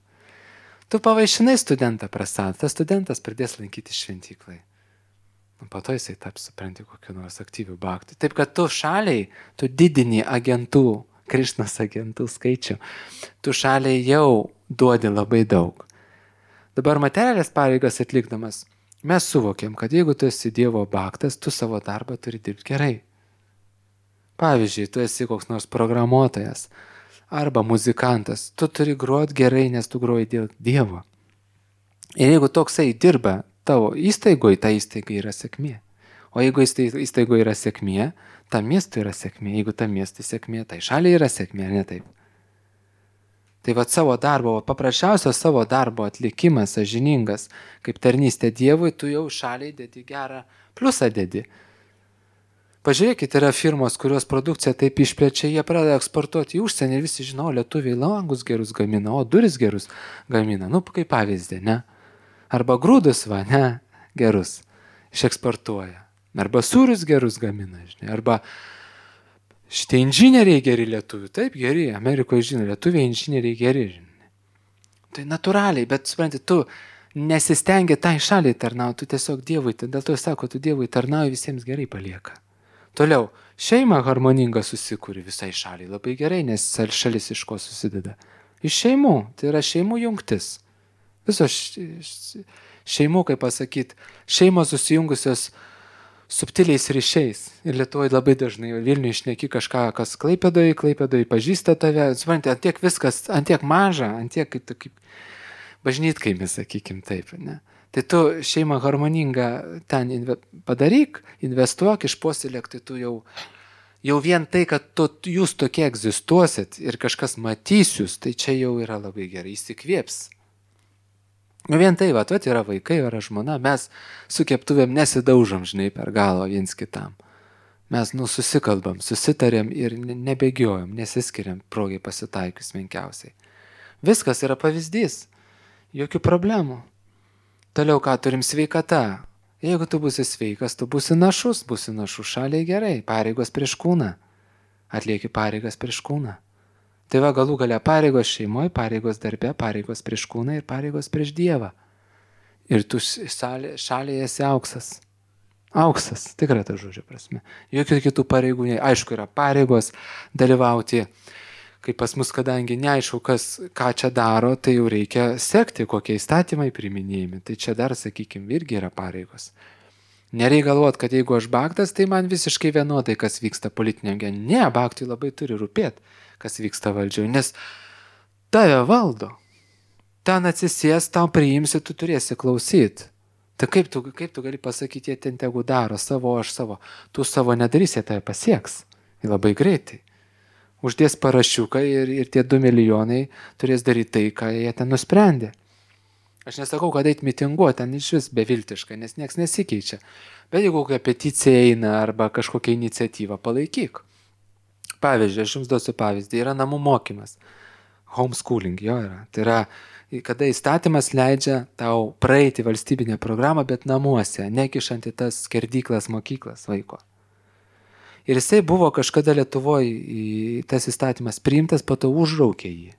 Tu pavaišinai studentą prasad, tas studentas pradės lankyti šventyklai. Po to jisai taps, supranti, kokiu nors aktyvių bhaktų. Taip, kad tu šaliai, tu didini agentų, Krišnos agentų skaičių, tu šaliai jau duodi labai daug. Dabar materialės pareigas atlikdamas, mes suvokėm, kad jeigu tu esi Dievo bhaktas, tu savo darbą turi dirbti gerai. Pavyzdžiui, tu esi koks nors programuotojas, arba muzikantas, tu turi groti gerai, nes tu groji dėl Dievo. Ir jeigu toksai dirba tavo įstaigoje, ta įstaiga yra sėkmė. O jeigu įstaigoje yra sėkmė, tam miestui yra sėkmė. Jeigu tam miestui sėkmė, tai šaliai yra sėkmė, ar ne taip? Tai va savo darbo, paprasčiausios savo darbo atlikimas, sąžiningas, kaip tarnystė Dievui, tu jau šaliai dedi gerą pliusą dedi. Pažiūrėkit, yra firmos, kurios produkciją taip išplečia, jie pradeda eksportuoti į užsienį ir visi žino, lietuviai langus gerus gamina, o duris gerus gamina. Nu, kaip pavyzdį, ne? Arba grūdus, va, ne, gerus išeksportuoja. Arba sūrius gerus gamina, žinai. Arba šitie inžinieriai geri lietuvių, taip geri, Amerikoje žino, lietuviai inžinieriai geri, žinai. Tai natūraliai, bet supranti, tu nesistengi tai šaliai tarnauti, tu tiesiog Dievui, dėl to sako, tu Dievui tarnauji, visiems gerai palieka. Toliau, šeima harmoninga susikūri visai šaliai labai gerai, nes šalis iš ko susideda. Iš šeimų, tai yra šeimų jungtis. Visos šeimų, kaip pasakyti, šeimos susijungusios subtiliais ryšiais. Ir Lietuvoje labai dažnai Vilniuje išneki kažką, kas Klaipėdoje, Klaipėdoje pažįsta tave. Suprantate, ant tiek viskas, ant tiek maža, ant tiek kaip, kaip bažnytkaimis, sakykim taip, ne? Tai tu šeimą harmoningą ten inve, padaryk, investuok, išpuoselėk, tai tu jau, jau vien tai, kad tu, jūs tokie egzistuosit ir kažkas matys jūs, tai čia jau yra labai gerai, įsikvėps. Nu vien tai, va, tu yra vaikai, yra žmona, mes su keptuvėm nesidaužom, žinai, per galvą viens kitam. Mes, nu, susikalbam, susitarėm ir nebėgiojom, nesiskiriam progai pasitaikius menkiausiai. Viskas yra pavyzdys, jokių problemų. Toliau ką turim sveikata. Jeigu tu būsi sveikas, tu būsi našus, būsi našus šaliai gerai, pareigos prieš kūną. Atlieki pareigas prieš kūną. Tai va galų galia pareigos šeimoje, pareigos darbe, pareigos prieš kūną ir pareigos prieš Dievą. Ir tu šaliai, šaliai esi auksas. Auksas, tikrai ta žodžio prasme. Jokių kitų pareigų, aišku, yra pareigos dalyvauti. Kaip pas mus, kadangi neaišku, kas, ką čia daro, tai jau reikia sekti, kokie įstatymai priminėjami. Tai čia dar, sakykime, irgi yra pareigos. Nereikia galvoti, kad jeigu aš bhaktas, tai man visiškai vienodai, kas vyksta politiniam gyvenime. Ne, bhaktui labai turi rūpėti, kas vyksta valdžioje, nes tave valdo. Ten atsisės, tau priimsi, tu turėsi klausyti. Tai kaip tu, kaip tu gali pasakyti, jie ten tegu daro savo, aš savo. Tu savo nedarysi, jie tave pasieks. Ir labai greitai. uždės parašiuką ir, ir tie du milijonai turės daryti tai, ką jie ten nusprendė. Aš nesakau, kad eit mitinguoti, ten iš vis beviltiška, nes nieks nesikeičia. Bet jeigu kokia peticija eina arba kažkokia iniciatyva, palaikyk. Pavyzdžiui, aš jums duosiu pavyzdį, yra namų mokymas. Homeschooling jo yra. Tai yra, kada įstatymas leidžia tau praeiti valstybinę programą, bet namuose, nekišant į tas skerdyklas mokyklas vaiko. Ir jisai buvo kažkada Lietuvoje tas įstatymas priimtas, po to užraukė jį.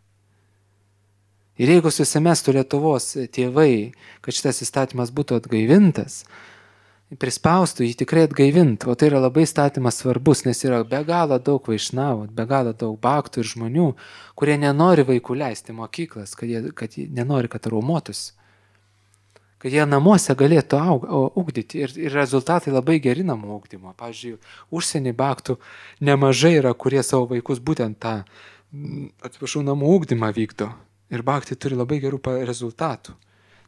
Ir jeigu susimestų Lietuvos tėvai, kad šitas įstatymas būtų atgaivintas, prispaustų jį tikrai atgaivinti, o tai yra labai įstatymas svarbus, nes yra be galo daug vaišnavų, be galo daug baktų ir žmonių, kurie nenori vaikų leisti mokyklas, kad jie, kad jie nenori, kad raumotųsi, kad jie namuose galėtų aug, ugdyti ir, ir rezultatai labai geri namų ugdymo. Pavyzdžiui, užsienį baktų nemažai yra, kurie savo vaikus būtent tą, atsiprašau, namų ugdymą vykdo. Ir baktai turi labai gerų rezultatų.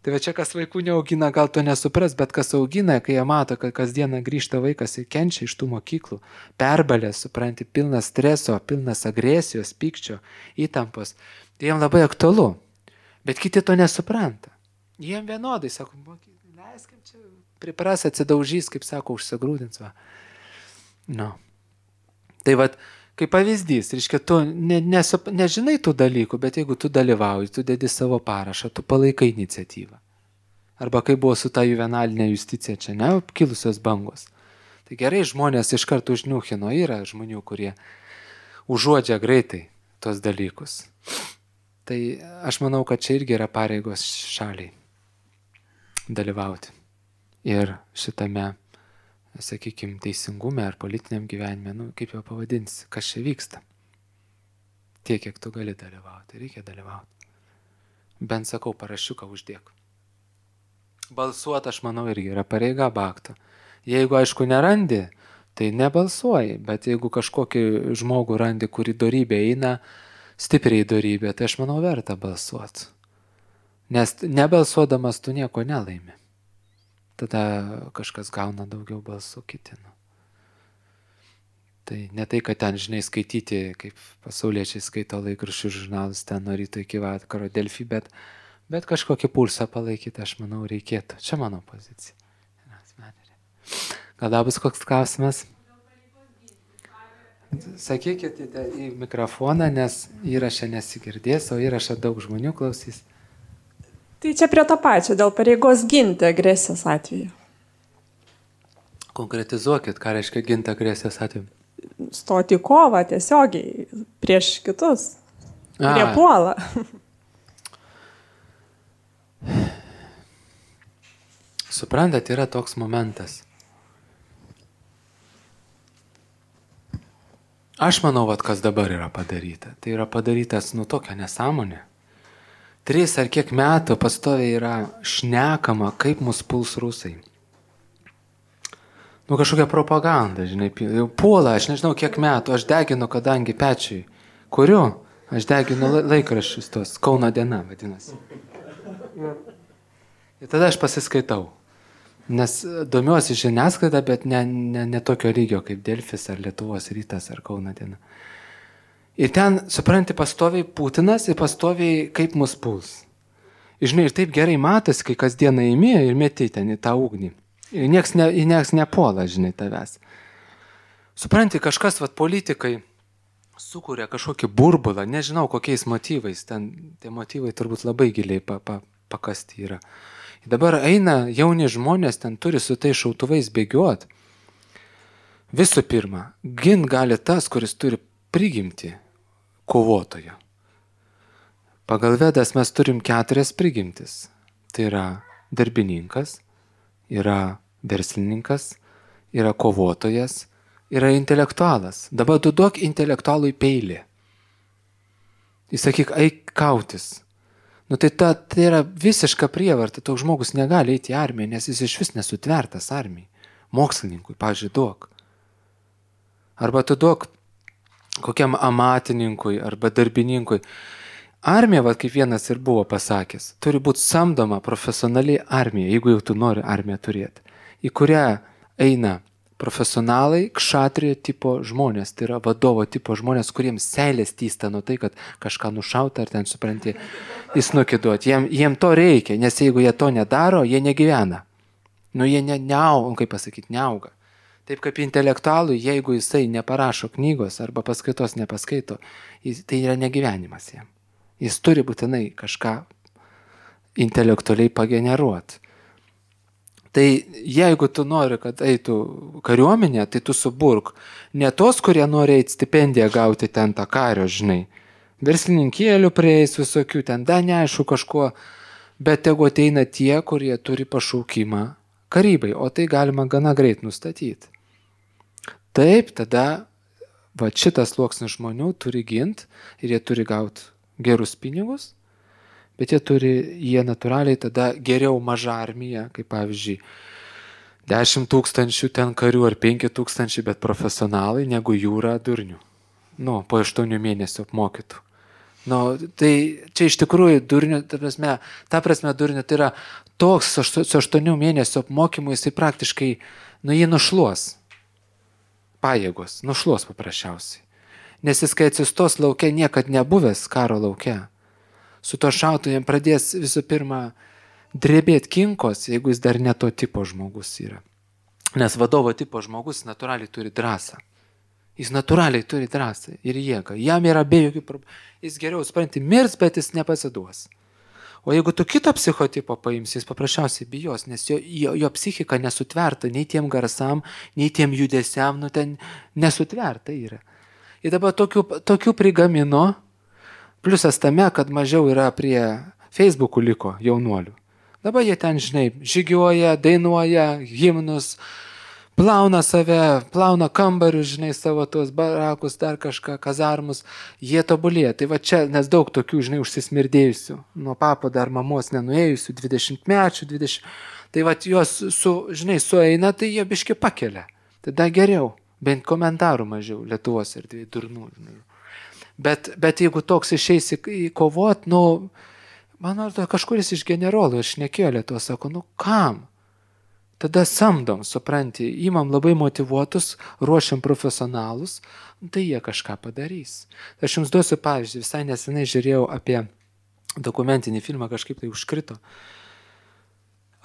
Tai va čia, kas vaikų neaugina, gal to nesupras, bet kas augina, kai jie mato, kad kasdieną grįžta vaikas ir kenčia iš tų mokyklų, perbalės, supranti, pilnas streso, pilnas agresijos, pykčio, įtampos, tai jiems labai aktualu. Bet kiti to nesupranta. Jiem vienodai, sako, leiskim čia, pripras, atsidaužys, kaip sako, užsigrūdins. Va. No. Tai va, kaip pavyzdys, reiškia, tu ne, nesu, nežinai tų dalykų, bet jeigu tu dalyvauji, tu dedi savo parašą, tu palaikai iniciatyvą. Arba kaip buvo su ta juvenalinė justicija čia, ne, kilusios bangos. Tai gerai, žmonės iš karto užniuchino, yra žmonių, kurie užuodžia greitai tos dalykus. Tai aš manau, kad čia irgi yra pareigos šaliai dalyvauti. Ir šitame, sakykime, teisingume ar politiniam gyvenime, nu, kaip jau pavadinsi, kas čia vyksta. Tiek, kiek tu gali dalyvauti, reikia dalyvauti. Bent sakau, parašiuką uždėk. Balsuoti, aš manau, irgi yra pareiga bakto. Jeigu, aišku, nerandi, tai nebalsuoji, bet jeigu kažkokį žmogų randi, kurį dorybė eina, stipriai dorybė, tai aš manau, verta balsuoti. Nes nebalsuodamas tu nieko nelaimi. Tada kažkas gauna daugiau balsų kiti. Nu. Tai ne tai, kad ten, žinai, skaityti, kaip pasauliečiai skaito laikraščių žurnalus, ten nuo ryto iki vakaro Delfi, bet, bet kažkokį pulsą palaikyti, aš manau, reikėtų. Čia mano pozicija. Gal dar bus koks klausimas? Sakykite į mikrofoną, nes įrašą nesigirdės, o įrašą daug žmonių klausys.
Tai čia prie to pačio, dėl pareigos ginti agresijos atveju.
Konkretizuokit, ką reiškia ginti agresijos atveju.
Stoti į kovą tiesiogiai prieš kitus, kurie puola.
Suprantat, yra toks momentas. Aš manau, vat, kas dabar yra padaryta. Tai yra padarytas, nu, tokia nesąmonė. Tris ar kiek metų pastoviai yra šnekama, kaip mus puls rusai. Nu, kažkokia propaganda, žinai, jau puola, aš nežinau kiek metų, aš deginu, kadangi pečiui. Kuriu? Aš deginu laikraščius tos, Kauno diena, vadinasi. Ir tada aš pasiskaitau. Nes domiuosi žiniasklaidą, bet ne, ne, ne tokio lygio kaip Delfis ar Lietuvos rytas ar Kauno diena. Ir ten, supranti, pastoviai Putinas ir pastoviai kaip mus puls. Ir, žinai, ir taip gerai matosi, kai kasdieną įmė ir meti ten į tą ugnį. Ir nieks, ne, ir nieks nepuola, žinai, tavęs. Supranti, kažkas, vat, politikai sukuria kažkokį burbulą, nežinau kokiais motyvais, ten tie motyvai turbūt labai giliai pa, pa, pakasti yra. Ir dabar eina jauni žmonės, ten turi su tai šautuvais bėgiuot. Visų pirma, gint gali tas, kuris turi prigimti kovotojo. Pagal Vedas mes turim keturias prigimtis. Tai yra darbininkas, yra verslininkas, yra kovotojas, yra intelektualas. Dabar tu duok intelektualui peilį. Jis sakyk, eik kautis. Nu tai ta, tai yra visiška prievarta. Toks žmogus negali eiti į armiją, nes jis iš vis nesutvertas armijai. Mokslininkui, pavyzdžiui, duok. Arba tu duok kokiam amatininkui arba darbininkui. Armija, va, kaip vienas ir buvo pasakęs, turi būti samdoma profesionali armija, jeigu jau tu nori armiją turėti, į kurią eina Profesionalai, kšatrijo tipo žmonės, tai yra vadovo tipo žmonės, kuriems seilės týsta nuo tai, kad kažką nušauta ar ten supranti, jis nukiduot. Jiem, jiem to reikia, nes jeigu jie to nedaro, jie negyvena. Nu, jie ne, neauga, kaip pasakyti, neauga. Taip kaip intelektualui, jeigu jisai neparašo knygos arba paskaitos nepaskaito, jis, tai yra negyvenimas jam. Jis turi būtinai kažką intelektualiai pageneruoti. Tai jeigu tu nori, kad eitų kariuomenė, tai tu suburk. Ne tos, kurie nori eiti stipendiją gauti ten tą kario, žinai. Verslininkėlių prieis visokių, ten da neaišku kažkuo, bet tegu ateina tie, kurie turi pašaukimą karybai, o tai galima gana greit nustatyti. Taip, tada va, šitas sluoksnis žmonių turi ginti ir jie turi gauti gerus pinigus, bet jie turi, jie natūraliai tada geriau mažą armiją, kaip pavyzdžiui, dešimt tūkstančių ten karių ar penki tūkstančiai, bet profesionalai negu jūra durnių. Nu, po aštuonių mėnesių apmokytų. Nu, tai čia iš tikrųjų durnių, ta prasme, ta prasme durnių, tai yra toks su aštuonių mėnesių apmokymu, jisai praktiškai, nu, jį nušluos. Pajėgos, nušluos paprasčiausiai. Nes jis, kai atsistos lauke, niekad nebuvęs karo lauke. Su to šautu jam pradės visų pirma drebėti kinkos, jeigu jis dar ne to tipo žmogus yra. Nes vadovo tipo žmogus natūraliai turi drąsą. Jis natūraliai turi drąsą ir jėgą. Jam yra be jokių problemų. Jis geriau, supranti, mirs, bet jis nepasiduos. O jeigu tu kito psichotipo paimsi, jis paprasčiausiai bijos, nes jo, jo, jo psichika nesutverta nei tiem garsam, nei tiem judesiam, nu ten nesutverta yra. Ir dabar tokių, tokių prigamino. Pliusas tame, kad mažiau yra prie Facebook'ų liko jaunuolių. Dabar jie ten, žinai, žygiuoja, dainuoja, himnus, plauna save, plauna kambarius, žinai, savo tuos barakus, dar kažką, kazarmus. Jie tobulėja. Tai va čia, nes daug tokių, žinai, užsismirdėjusių, nuo papo dar mamos nenuėjusių, dvidešimtmečių, dvidešimt. Tai va juos, su, žinai, sueina, tai jie biški pakelia. Tada geriau, bent komentarų mažiau Lietuvos ir dviejų durnų, žinai. Bet, bet jeigu toks išeis į, į kovot, nu, man atrodo, kažkuris iš generolų ir šnekėjo Lietuvą, sako, nu kam? Tada samdom, supranti, įmam labai motyvuotus, ruošiam profesionalus, tai jie kažką padarys. Aš jums duosiu pavyzdį, visai nesenai žiūrėjau apie dokumentinį filmą, kažkaip tai užkrito,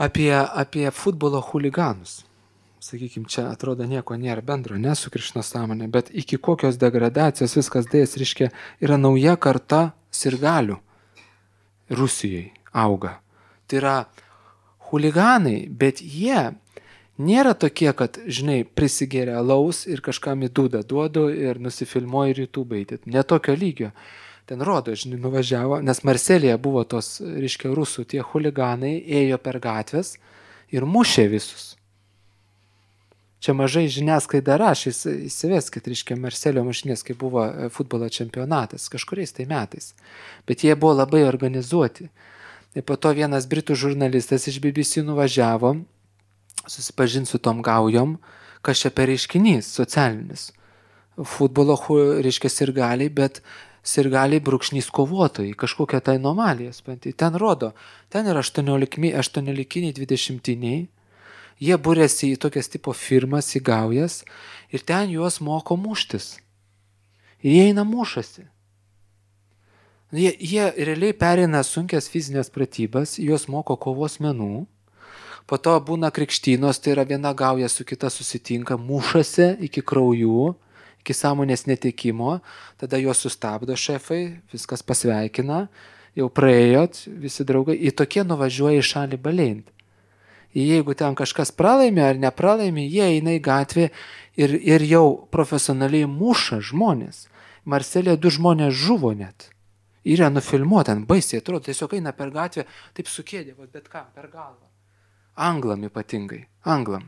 apie, apie futbolo chuliganus. Sakykime, čia atrodo nieko nėra bendro, ne su Krišno sąmonė, bet iki kokios degradacijos viskas dėjas, reiškia, yra nauja karta sirgalių Rusijoje auga. Tai yra chuliganai, bet jie nėra tokie, kad, žinai, prisigėrė alaus ir kažkam į dūdą duodu ir nusifilmuoja ir YouTube įdėt. Ne tokio lygio. Ten rodo, žinai, nuvažiavo, nes Marselėje buvo tos, reiškia, rusų tie chuliganai, ėjo per gatvės ir mušė visus. Čia mažai žiniasklaida rašė, įsiveskit, reiškia, Marselio mušinės, kai buvo futbolo čempionatas, kažkuriais tai metais. Bet jie buvo labai organizuoti. Ir po to vienas britų žurnalistas iš B B C nuvažiavo, susipažinti su tom gaujom, kas čia per reiškinys socialinis. Futbolo, reiškia, sirgaliai, bet sirgaliai brūkšnys kovotojai, kažkokia tai anomalija. Ten rodo, ten yra aštuoniolikiniai, dvidešimtiniai. Jie būrėsi į tokias tipo firmas, į gaujas ir ten juos moko muštis. Ir jie eina mušasi. Jie, jie realiai pereina sunkias fizinės pratybas, juos moko kovos menų. Po to būna krikštynos, tai yra viena gauja su kita susitinka, mušasi iki kraujų, iki sąmonės netekimo. Tada juos sustabdo šefai, viskas pasveikina, jau praėjot, visi draugai. Ir tokie nuvažiuoja į šalį baleinti. Jeigu ten kažkas pralaimė ar nepralaimė, jie eina į gatvę ir, ir jau profesionaliai muša žmonės. Marselėje du žmonės žuvo net. Yra nufilmuota, baisiai atrodo, tiesiog eina per gatvę, taip sukėdė, bet ką, per galvą. Anglam ypatingai, anglam.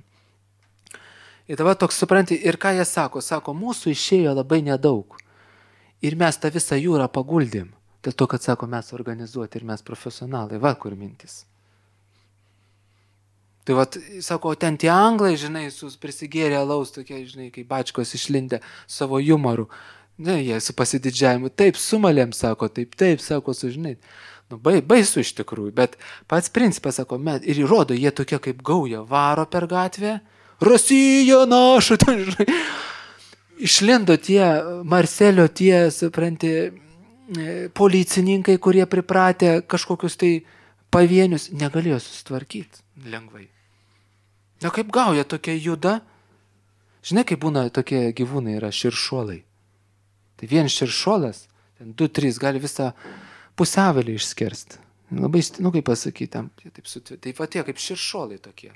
Ir dabar toks supranti, ir ką jie sako, sako, mūsų išėjo labai nedaug. Ir mes tą visą jūrą paguldėm. Dėl to, kad sako, mes organizuoti ir mes profesionalai, va kur mintis. Tai vat, sako, ten tie anglai, žinai, prisigėrė alaus, tokie, žinai, kaip bačkos išlindę savo jumoru. Ne, jie su pasididžiavimu, taip, sumalėm, sako, taip, taip, sako, sužinai. Nu, baisu iš tikrųjų, bet pats principas, sako, met, ir įrodo, jie tokie kaip gauja, varo per gatvę, Rusija naša, ten, žinai. Išlindo tie Marselio, tie, supranti, policininkai, kurie pripratę kažkokius tai pavienius, negalėjo susitvarkyti lengvai. Na kaip gauja tokia juda? Žinai, kaip būna tokie gyvūnai yra širšuolai. Tai vien širšuolas, ten du, trys, gali visą pusiavelį išskersti. Labai, nu kaip pasakyti, tam, taip, taip va tie kaip širšuolai tokie.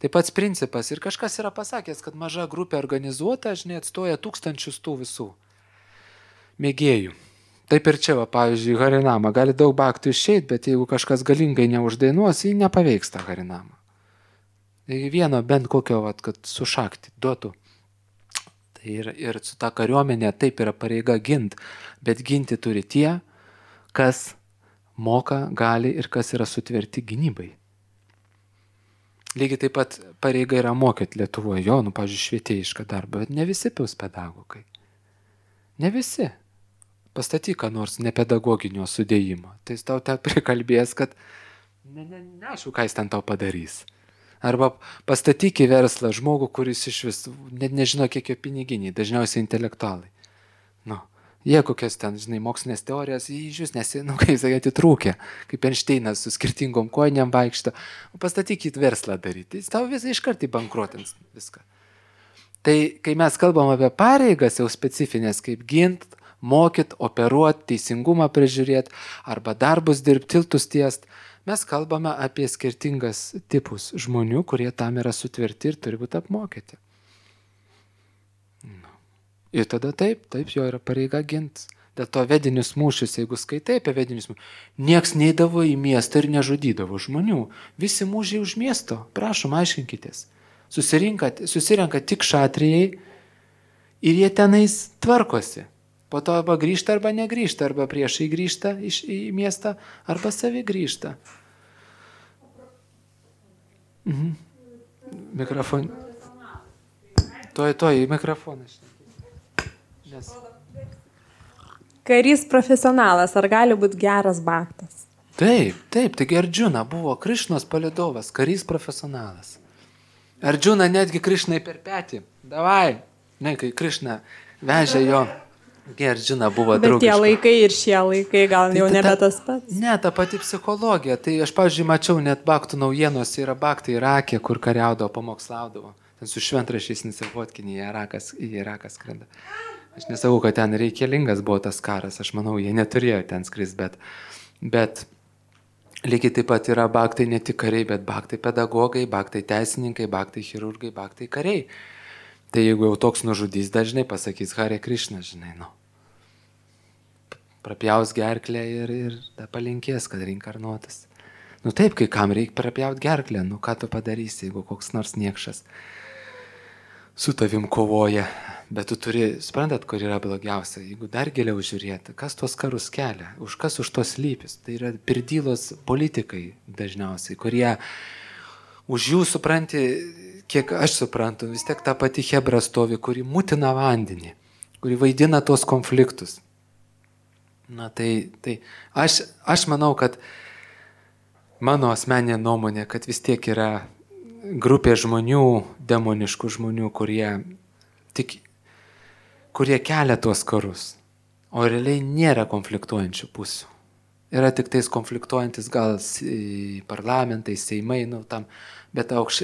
Tai pats principas. Ir kažkas yra pasakęs, kad maža grupė organizuota, žinai, atstoja tūkstančius tų visų mėgėjų. Taip ir čia, va, pavyzdžiui, Harinama. Gali daug baktų išeit, bet jeigu kažkas galingai neuždainuos, jį nepaveiks tą Harinamą. Vieno bent kokio, vat, kad sušakti, duotų. Tai ir, ir su ta kariuomenė taip yra pareiga gint, bet ginti turi tie, kas moka, gali ir kas yra sutverti gynybai. Lygiai taip pat pareiga yra mokyti Lietuvoje, jo, nu, pavyzdžiui, švietėjišką darbą, bet ne visi pils pedagogai. Ne visi. Pastatyk, ką nors nepedagoginio sudėjimo. Tai jis tau te prikalbės, kad ne, ne, neaišku, ką jis ten tau padarys. Arba pastatyk į verslą žmogų, kuris iš vis net nežino, kiek jo piniginiai, dažniausiai intelektualai. Nu, jie kokias ten, žinai, mokslinės teorijas, jį iš vis nesi, nu, kaip sakai, atitrūkė, kaip Einšteinas su skirtingom kojiniam vaikšto. Pastatyk į verslą daryti, jis tau visą iškart įbankrotins viską. Tai, kai mes kalbam apie pareigas jau specifinės, kaip gint, mokyt, operuot, teisingumą prižiūrėt, arba darbus dirbti, tiltus tiest, mes kalbame apie skirtingas tipus žmonių, kurie tam yra sutverti ir turi būti apmokyti. Nu. Ir tada taip, taip jo yra pareiga gint. Dėl to vedinius mūšius, jeigu skaitai apie vedinius mūšius, nieks neidavo į miestą ir nežudydavo žmonių. Visi mūžiai už miesto, prašom, aiškinkitės. Susirenka tik šatrijai ir jie tenais tvarkosi. Po to arba grįžta, arba negrįžta, arba priešai grįžta iš, į miestą, arba savi grįžta. Mhm. Mikrofon. Toj, toj, į mikrofoną. Nes...
Karys profesionalas, ar gali būti geras baktas?
Taip, taip, taigi Ardžuna buvo Krišnos palydovas, karys profesionalas. Ardžuna netgi Krišnai per petį. Davai, ne, kai Krišna vežė jo... Ardžuna buvo draugiška.
Bet tie laikai ir šie laikai gal tai jau ta, nebe tas pats.
Ne, ta pati psichologija. Tai aš, pavyzdžiui, mačiau net baktų naujienos, yra baktai Irake, kur kariaudavo, pamokslaudavo. Ten su šventrašiais Nisivotkinį į Irakas, į Irakas skrenda. Aš nesakau, kad ten reikalingas buvo tas karas. Aš manau, jie neturėjo ten skris, bet, bet lygiai taip pat yra baktai ne tik kariai, bet baktai pedagogai, baktai teisininkai, baktai chirurgai, baktai kariai. Tai jeigu jau toks nužudys, dažnai pasakys Hare Krishna, žinai, nu. Prapjaus gerklę ir, ir ta palinkės, kad reinkarnuotas. Nu taip, kai kam reikia prapjaut gerklę, nu ką tu padarysi, jeigu koks nors niekšas su tavim kovoja. Bet tu turi, suprantat, kur yra blogiausia, jeigu dar giliau žiūrėti, kas tuos karus kelia, už kas už tos lypis. Tai yra pirdylos politikai dažniausiai, kurie už jų supranti, kiek aš suprantu, vis tiek ta pati chebra stovi, kuri mutina vandenį, kuri vaidina tos konfliktus. Na tai, tai aš, aš manau, kad mano asmeninė nuomonė, kad vis tiek yra grupė žmonių, demoniškų žmonių, kurie, tik, kurie kelia tuos karus, o realiai nėra konfliktuojančių pusių. Yra tik tais konfliktuojantis gal parlamentai, seimai, nu, tam, bet aukš,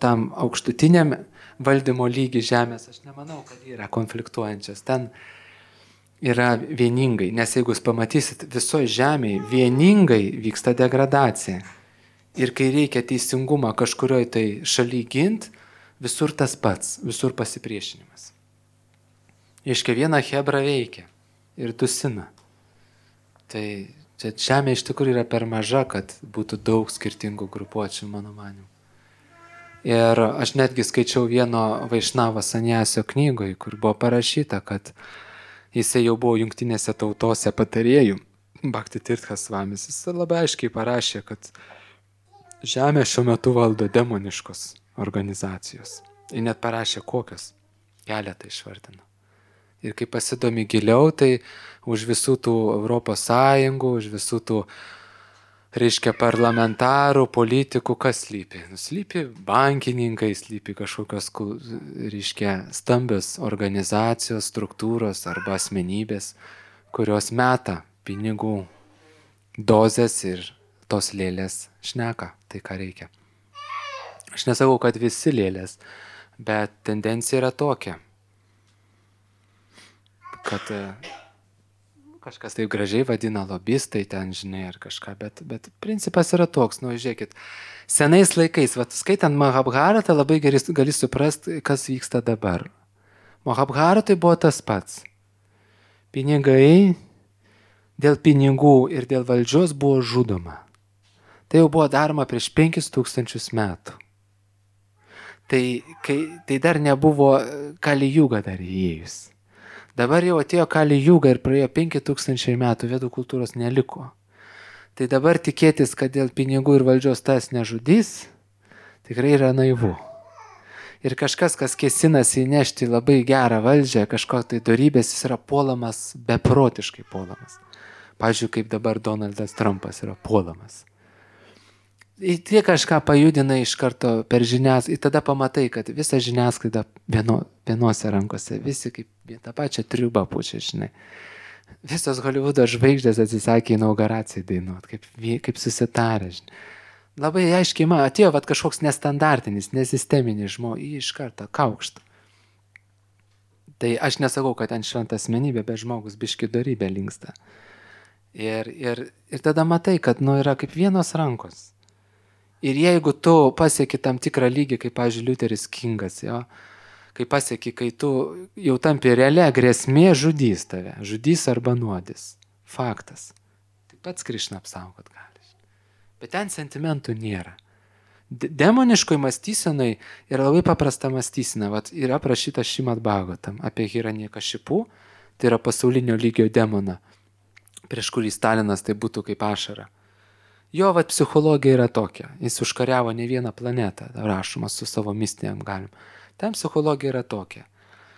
tam aukštutiniam valdymo lygi žemės, aš nemanau, kad yra konfliktuojančios. Ten yra vieningai, nes jeigu jūs pamatysit, visoje žemėje vieningai vyksta degradacija. Ir kai reikia teisingumą kažkurioje tai šaly gint, visur tas pats, visur pasipriešinimas. Iškia viena hebra veikia ir dusina. Tai čia žemė iš tikrųjų yra per maža, kad būtų daug skirtingų grupuočių, mano manimu. Ir aš netgi skaičiau vieno Vaišnavo Saniasio knygoje, kur buvo parašyta, kad jisai jau buvo jungtinėse tautose patarėjų, Bhakti Tirtha Svamis. Jis labai aiškiai parašė, kad žemė šiuo metu valdo demoniškos organizacijos. Ir net parašė kokios, keletą išvardino. Ir kai pasidomi giliau, tai už visų tų Europos Sąjungų, už visų tų reiškia parlamentarų, politikų, kas slypi? Slypi bankininkai, slypi kažkokios, reiškia, stambios organizacijos, struktūros arba asmenybės, kurios meta pinigų dozes ir tos lėlės šneka, tai ką reikia. Aš nesakau, kad visi lėlės, bet tendencija yra tokia, kad kažkas taip gražiai vadina lobistai ten, žinai, ar kažką, bet, bet principas yra toks, nu, žiūrėkit, senais laikais, vat, skaitant Mahabharatą, labai gerai gali suprasti, kas vyksta dabar. Mahabharatai buvo tas pats. Pinigai, dėl pinigų ir dėl valdžios buvo žudoma. Tai jau buvo daroma prieš penkis tūkstančius metų. Tai, kai, tai dar nebuvo Kali Juga dar įėjus. Dabar jau atėjo Kali Juga ir praėjo penki tūkstančiai metų, vedų kultūros neliko. Tai dabar tikėtis, kad dėl pinigų ir valdžios tas nežudys, tikrai yra naivu. Ir kažkas, kas kėsinasi įnešti labai gerą valdžią, kažko tai dorybės, jis yra puolamas, beprotiškai puolamas. Pavyzdžiui, kaip dabar Donaldas Trumpas yra puolamas. Tie kažką pajudina iš karto per žiniasklaidą, ir tada pamatai, kad visa žiniasklaida vieno, vienose rankose, visi kaip tą pačią triubą pučia, žinai. Visos Hollywoodo žvaigždės atsisakė inauguracijai dainuot, kaip, kaip susitarė, žinai. Labai aiškiai, man atėjo vat, kažkoks nestandartinis, nesisteminis žmogus, jį iš karto kaukšta. Tai aš nesakau, kad ten šventa asmenybė, bet žmogus biški dorybė linksta. Ir, ir, ir tada matai, kad nu, yra kaip vienos rankos. Ir jeigu tu pasieki tam tikrą lygį, kaip, pavyzdžiui, Liuteris Kingas, jo, kai pasieki, kai tu jau tampi realia grėsmė, žudys tave, žudys arba nuodys. Faktas. Taip pats Krišna apsaugot gali. Bet ten sentimentų nėra. Demoniškoj mąstysenai yra labai paprasta mąstysena. Vat yra aprašyta Šrimad Bhagavatam apie Hiranyakšipų, tai yra pasaulinio lygio demoną, prieš kurį Stalinas tai būtų kaip ašara. Jo vat psichologija yra tokia. Jis užkariavo ne vieną planetą, rašoma su savo mistiniam galim. Ten psichologija yra tokia,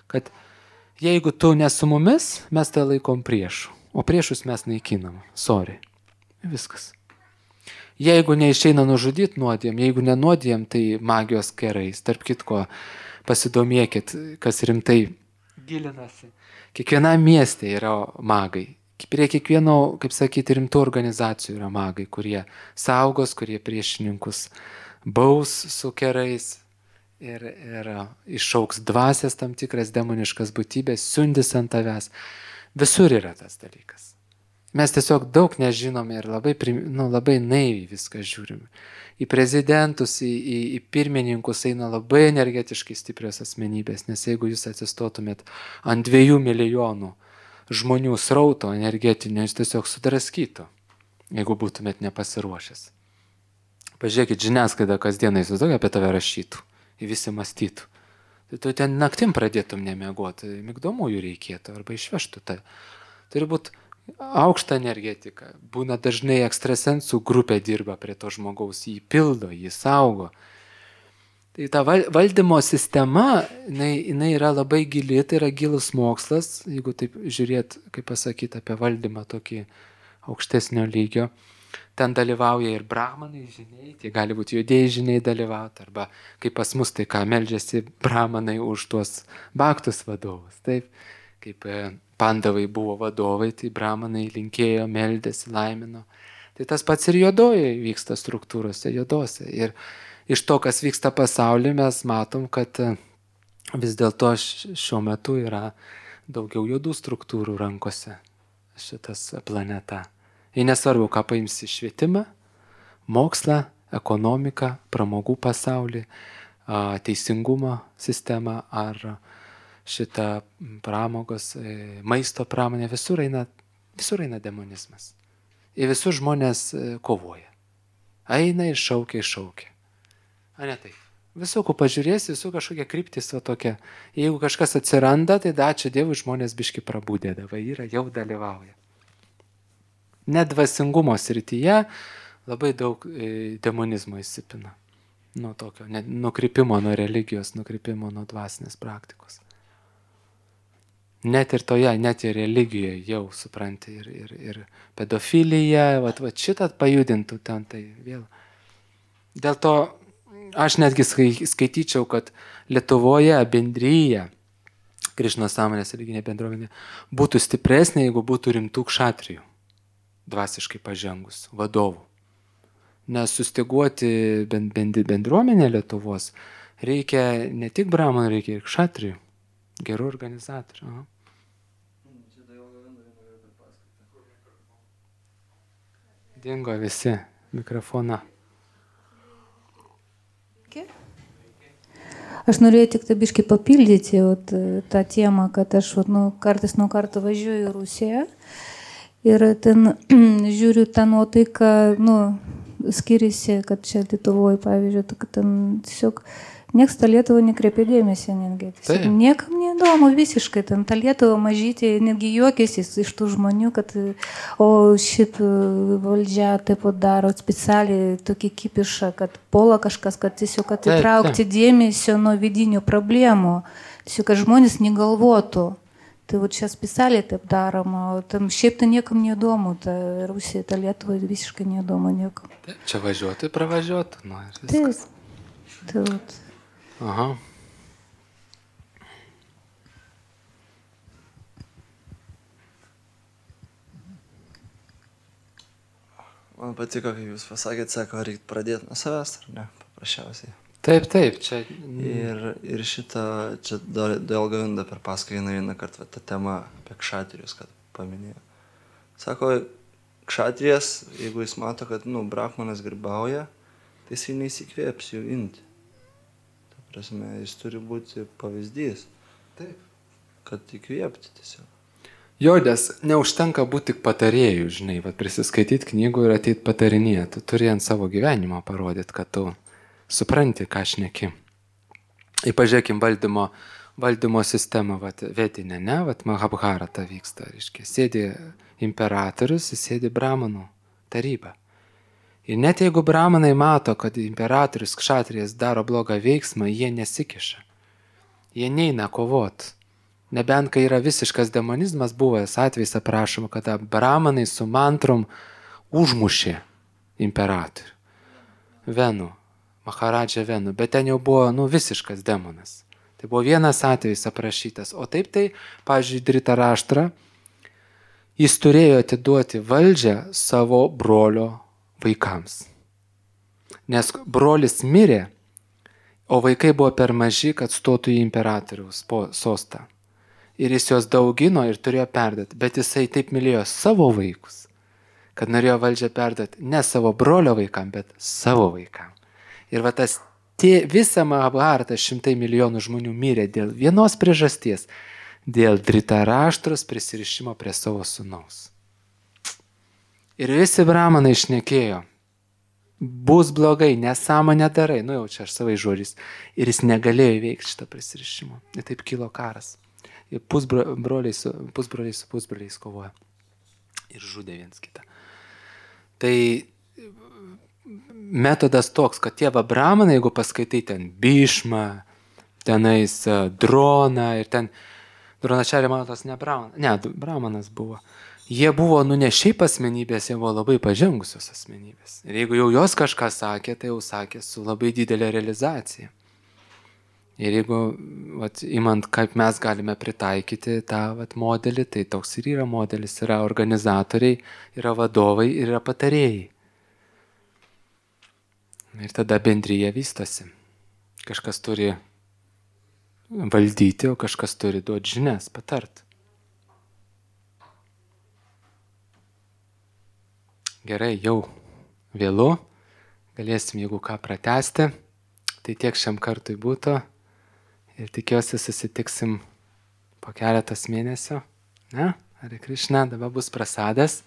kad jeigu tu ne su mumis, mes tai laikom priešų, o priešus mes naikinam. Sorry. Viskas. Jeigu neišeina nužudyti nuodėm, jeigu nenuodėm, tai magijos kerais. Tarp kitko, pasidomėkit, kas rimtai gilinasi. Kiekvienam mieste yra magai. Prie kiekvieno, kaip sakyti, rimtų organizacijų yra magai, kurie saugos, kurie priešininkus baus su kerais ir, ir išauks dvasias tam tikras demoniškas būtybės, siundis ant tavęs. Visur yra tas dalykas. Mes tiesiog daug nežinome ir labai, nu, labai naiviai viską žiūrime. Į prezidentus, į, į, į pirmininkus eina labai energetiškai stiprios asmenybės, nes jeigu jūs atsistotumėt ant dviejų milijonų žmonių srauto energetinio, jis tiesiog sudraskytų, jeigu būtumėt nepasiruošęs. Pažiūrėkit, žiniasklaida kasdieną įsivaizduoja apie tave rašytų, į visi mąstytų. Tai tu ten naktim pradėtum nemiegoti, migdomųjų reikėtų arba išvežtų tai. Turi būti aukšta energetika. Būna dažnai ekstrasensų grupė dirba prie to žmogaus, jį pildo, jį saugo. Tai ta valdymo sistema, jinai, jinai yra labai gili, tai yra gilus mokslas, jeigu taip žiūrėt, kaip pasakyti, apie valdymą tokį aukštesnio lygio. Ten dalyvauja ir brahmanai žiniai, tai gali būti judėjai žiniai dalyvauti, arba kaip pas mus, tai ką meldžiasi brahmanai už tuos baktus vadovus. Taip, kaip pandavai buvo vadovai, tai brahmanai linkėjo, meldėsi, laimino. Tai tas pats ir juodoje vyksta struktūrose, juodose. Ir iš to, kas vyksta pasaulyje, mes matom, kad vis dėlto šiuo metu yra daugiau juodų struktūrų rankose šitas planeta. Ir nesvarbu, ką paimsi švietimą, mokslą, ekonomiką, pramogų pasaulį, teisingumo sistemą ar šitą pramogos, maisto pramonę, visur eina, visur eina demonizmas. Ir visur žmonės kovoja. Eina ir šaukia, ir šaukia. A ne taip. Visų, ko pažiūrėsi, visų kažkokia kryptis va tokia. Jeigu kažkas atsiranda, tai da, ačiū Dievui, žmonės biški prabūdė, davai yra, jau dalyvauja. Net dvasingumo srityje labai daug demonizmo įsipina. Nuo tokio, nukrypimo nuo religijos, nukrypimo nuo dvasinės praktikos. Net ir toje, net ir religijoje jau supranti ir, ir, ir pedofilija, vat, vat šitą pajudintų ten, tai vėl. Dėl to aš netgi skaityčiau, kad Lietuvoje bendryje, Krišnos sąmonės religinė bendruomenė, būtų stipresnė, jeigu būtų rimtų kšatrijų, dvasiškai pažengus, vadovų. Nes sustiguoti bendruomenę Lietuvos reikia ne tik bramonų, reikia ir kšatrijų, gerų organizatorių. Aha. Dingo visi mikrofoną.
Aš norėjau tik tabiškai papildyti vat, tą temą, kad aš vat, nu, kartais nuo karto važiuoju į Rusiją ir ten žiūriu tą nuotaiką, nu, skiriasi, kad čia Lietuvoje, pavyzdžiui, kad ten tiesiog nieks tą Lietuvą nekreipia dėmesį netgi. Tiesiog niekam neįdomu visiškai, ten tą Lietuvą mažyti, netgi juokėsi iš tų žmonių, kad o šit valdžia taip pat daro specialiai tokį kipišą, kad puola kažkas, kad tiesiog atitraukti dėmesio nuo vidinių problemų, tiesiog kad žmonės negalvotų. Tai va čia specialiai taip daroma, o tam šiaip tai niekam neįdomu, ta Rusija, ta Lietuva visiškai neįdomu niekam.
Taip, čia važiuotų, pravažiuotų. Nu, taip,
taip.
Aha.
Man patiko, kai jūs pasakėt, sako, reikia pradėti nuo savęs, ar ne, paprasčiausiai.
Taip, taip, čia...
Ir, ir šitą, čia dėl Govinda per paskaitą vieną kartą tą temą apie kšatrijus, kad paminėjo. Sako, kšatrijas, jeigu jis mato, kad, nu, brahmanas grybauja, tai jisai neįsikvėps jų imti. Ta prasme, jis turi būti pavyzdys.
Taip.
Kad įkvėpti tiesiog.
Jo, nes neužtenka būti tik patarėjų, žinai, vat prisiskaityti knygų ir ateit patarinėti. Tu turi ant savo gyvenimo parodyti, kad tu supranti, ką šneki. Ir pažiūrėkim valdymo, valdymo sistemą, vat, vedinę, ne, vat Mahabharata vyksta, reiškia, sėdi imperatorius, sėdi bramanų taryba. Ir net jeigu bramanai mato, kad imperatorius kšatrijas daro blogą veiksmą, jie nesikiša. Jie neina kovot. Nebent, kai yra visiškas demonizmas, buvęs atvejs aprašoma, kada bramanai su mantrom užmušė imperatorių. Venu. Maharadža Venu, bet ten jau buvo, nu, visiškas demonas. Tai buvo vienas atvejis aprašytas. O taip tai, pavyzdžiui, Dritaraštra, jis turėjo atiduoti valdžią savo brolio vaikams. Nes brolis mirė, o vaikai buvo per maži, kad stotų į imperatoriaus sostą. Ir jis juos daugino ir turėjo perduoti. Bet jisai taip mylėjo savo vaikus, kad norėjo valdžią perduoti ne savo brolio vaikam, bet savo vaikam. Ir va tas tie, visą Mahabharatą šimtai milijonų žmonių mirė dėl vienos priežasties, dėl Dritaraštros prisirišimo prie savo sūnaus. Ir visi bramanai šnekėjo, bus blogai, nesąmonę darai, nu jau čia aš savai žodžiais, ir jis negalėjo įveikti šitą prisirišimą. Ir taip kilo karas. Ir pusbroliai su, pusbroliai su pusbroliais kovoja. Ir žudė viens kitą. Tai metodas toks, kad tie va bramanai, jeigu paskaitai ten Bhishma, tenais Droną ir ten, Dronačarė mano tas ne bramanas, ne, bramanas buvo. Jie buvo, nu ne šiaip asmenybės, jie buvo labai pažengusios asmenybės. Ir jeigu jau jos kažką sakė, tai jau sakė su labai didelė realizacija. Ir jeigu, vat, imant, kaip mes galime pritaikyti tą vat, modelį, tai toks ir yra modelis, yra organizatoriai, yra vadovai ir yra patarėjai. Ir tada bendryje vystosi. Kažkas turi valdyti, o kažkas turi duoti žinias, patart. Gerai, jau vėlu. Galėsim, jeigu ką pratęsti. Tai tiek šiam kartui būtų. Ir tikiuosi susitiksim po keletas mėnesio. Ne? Hare Krishna, dabar bus prasadas.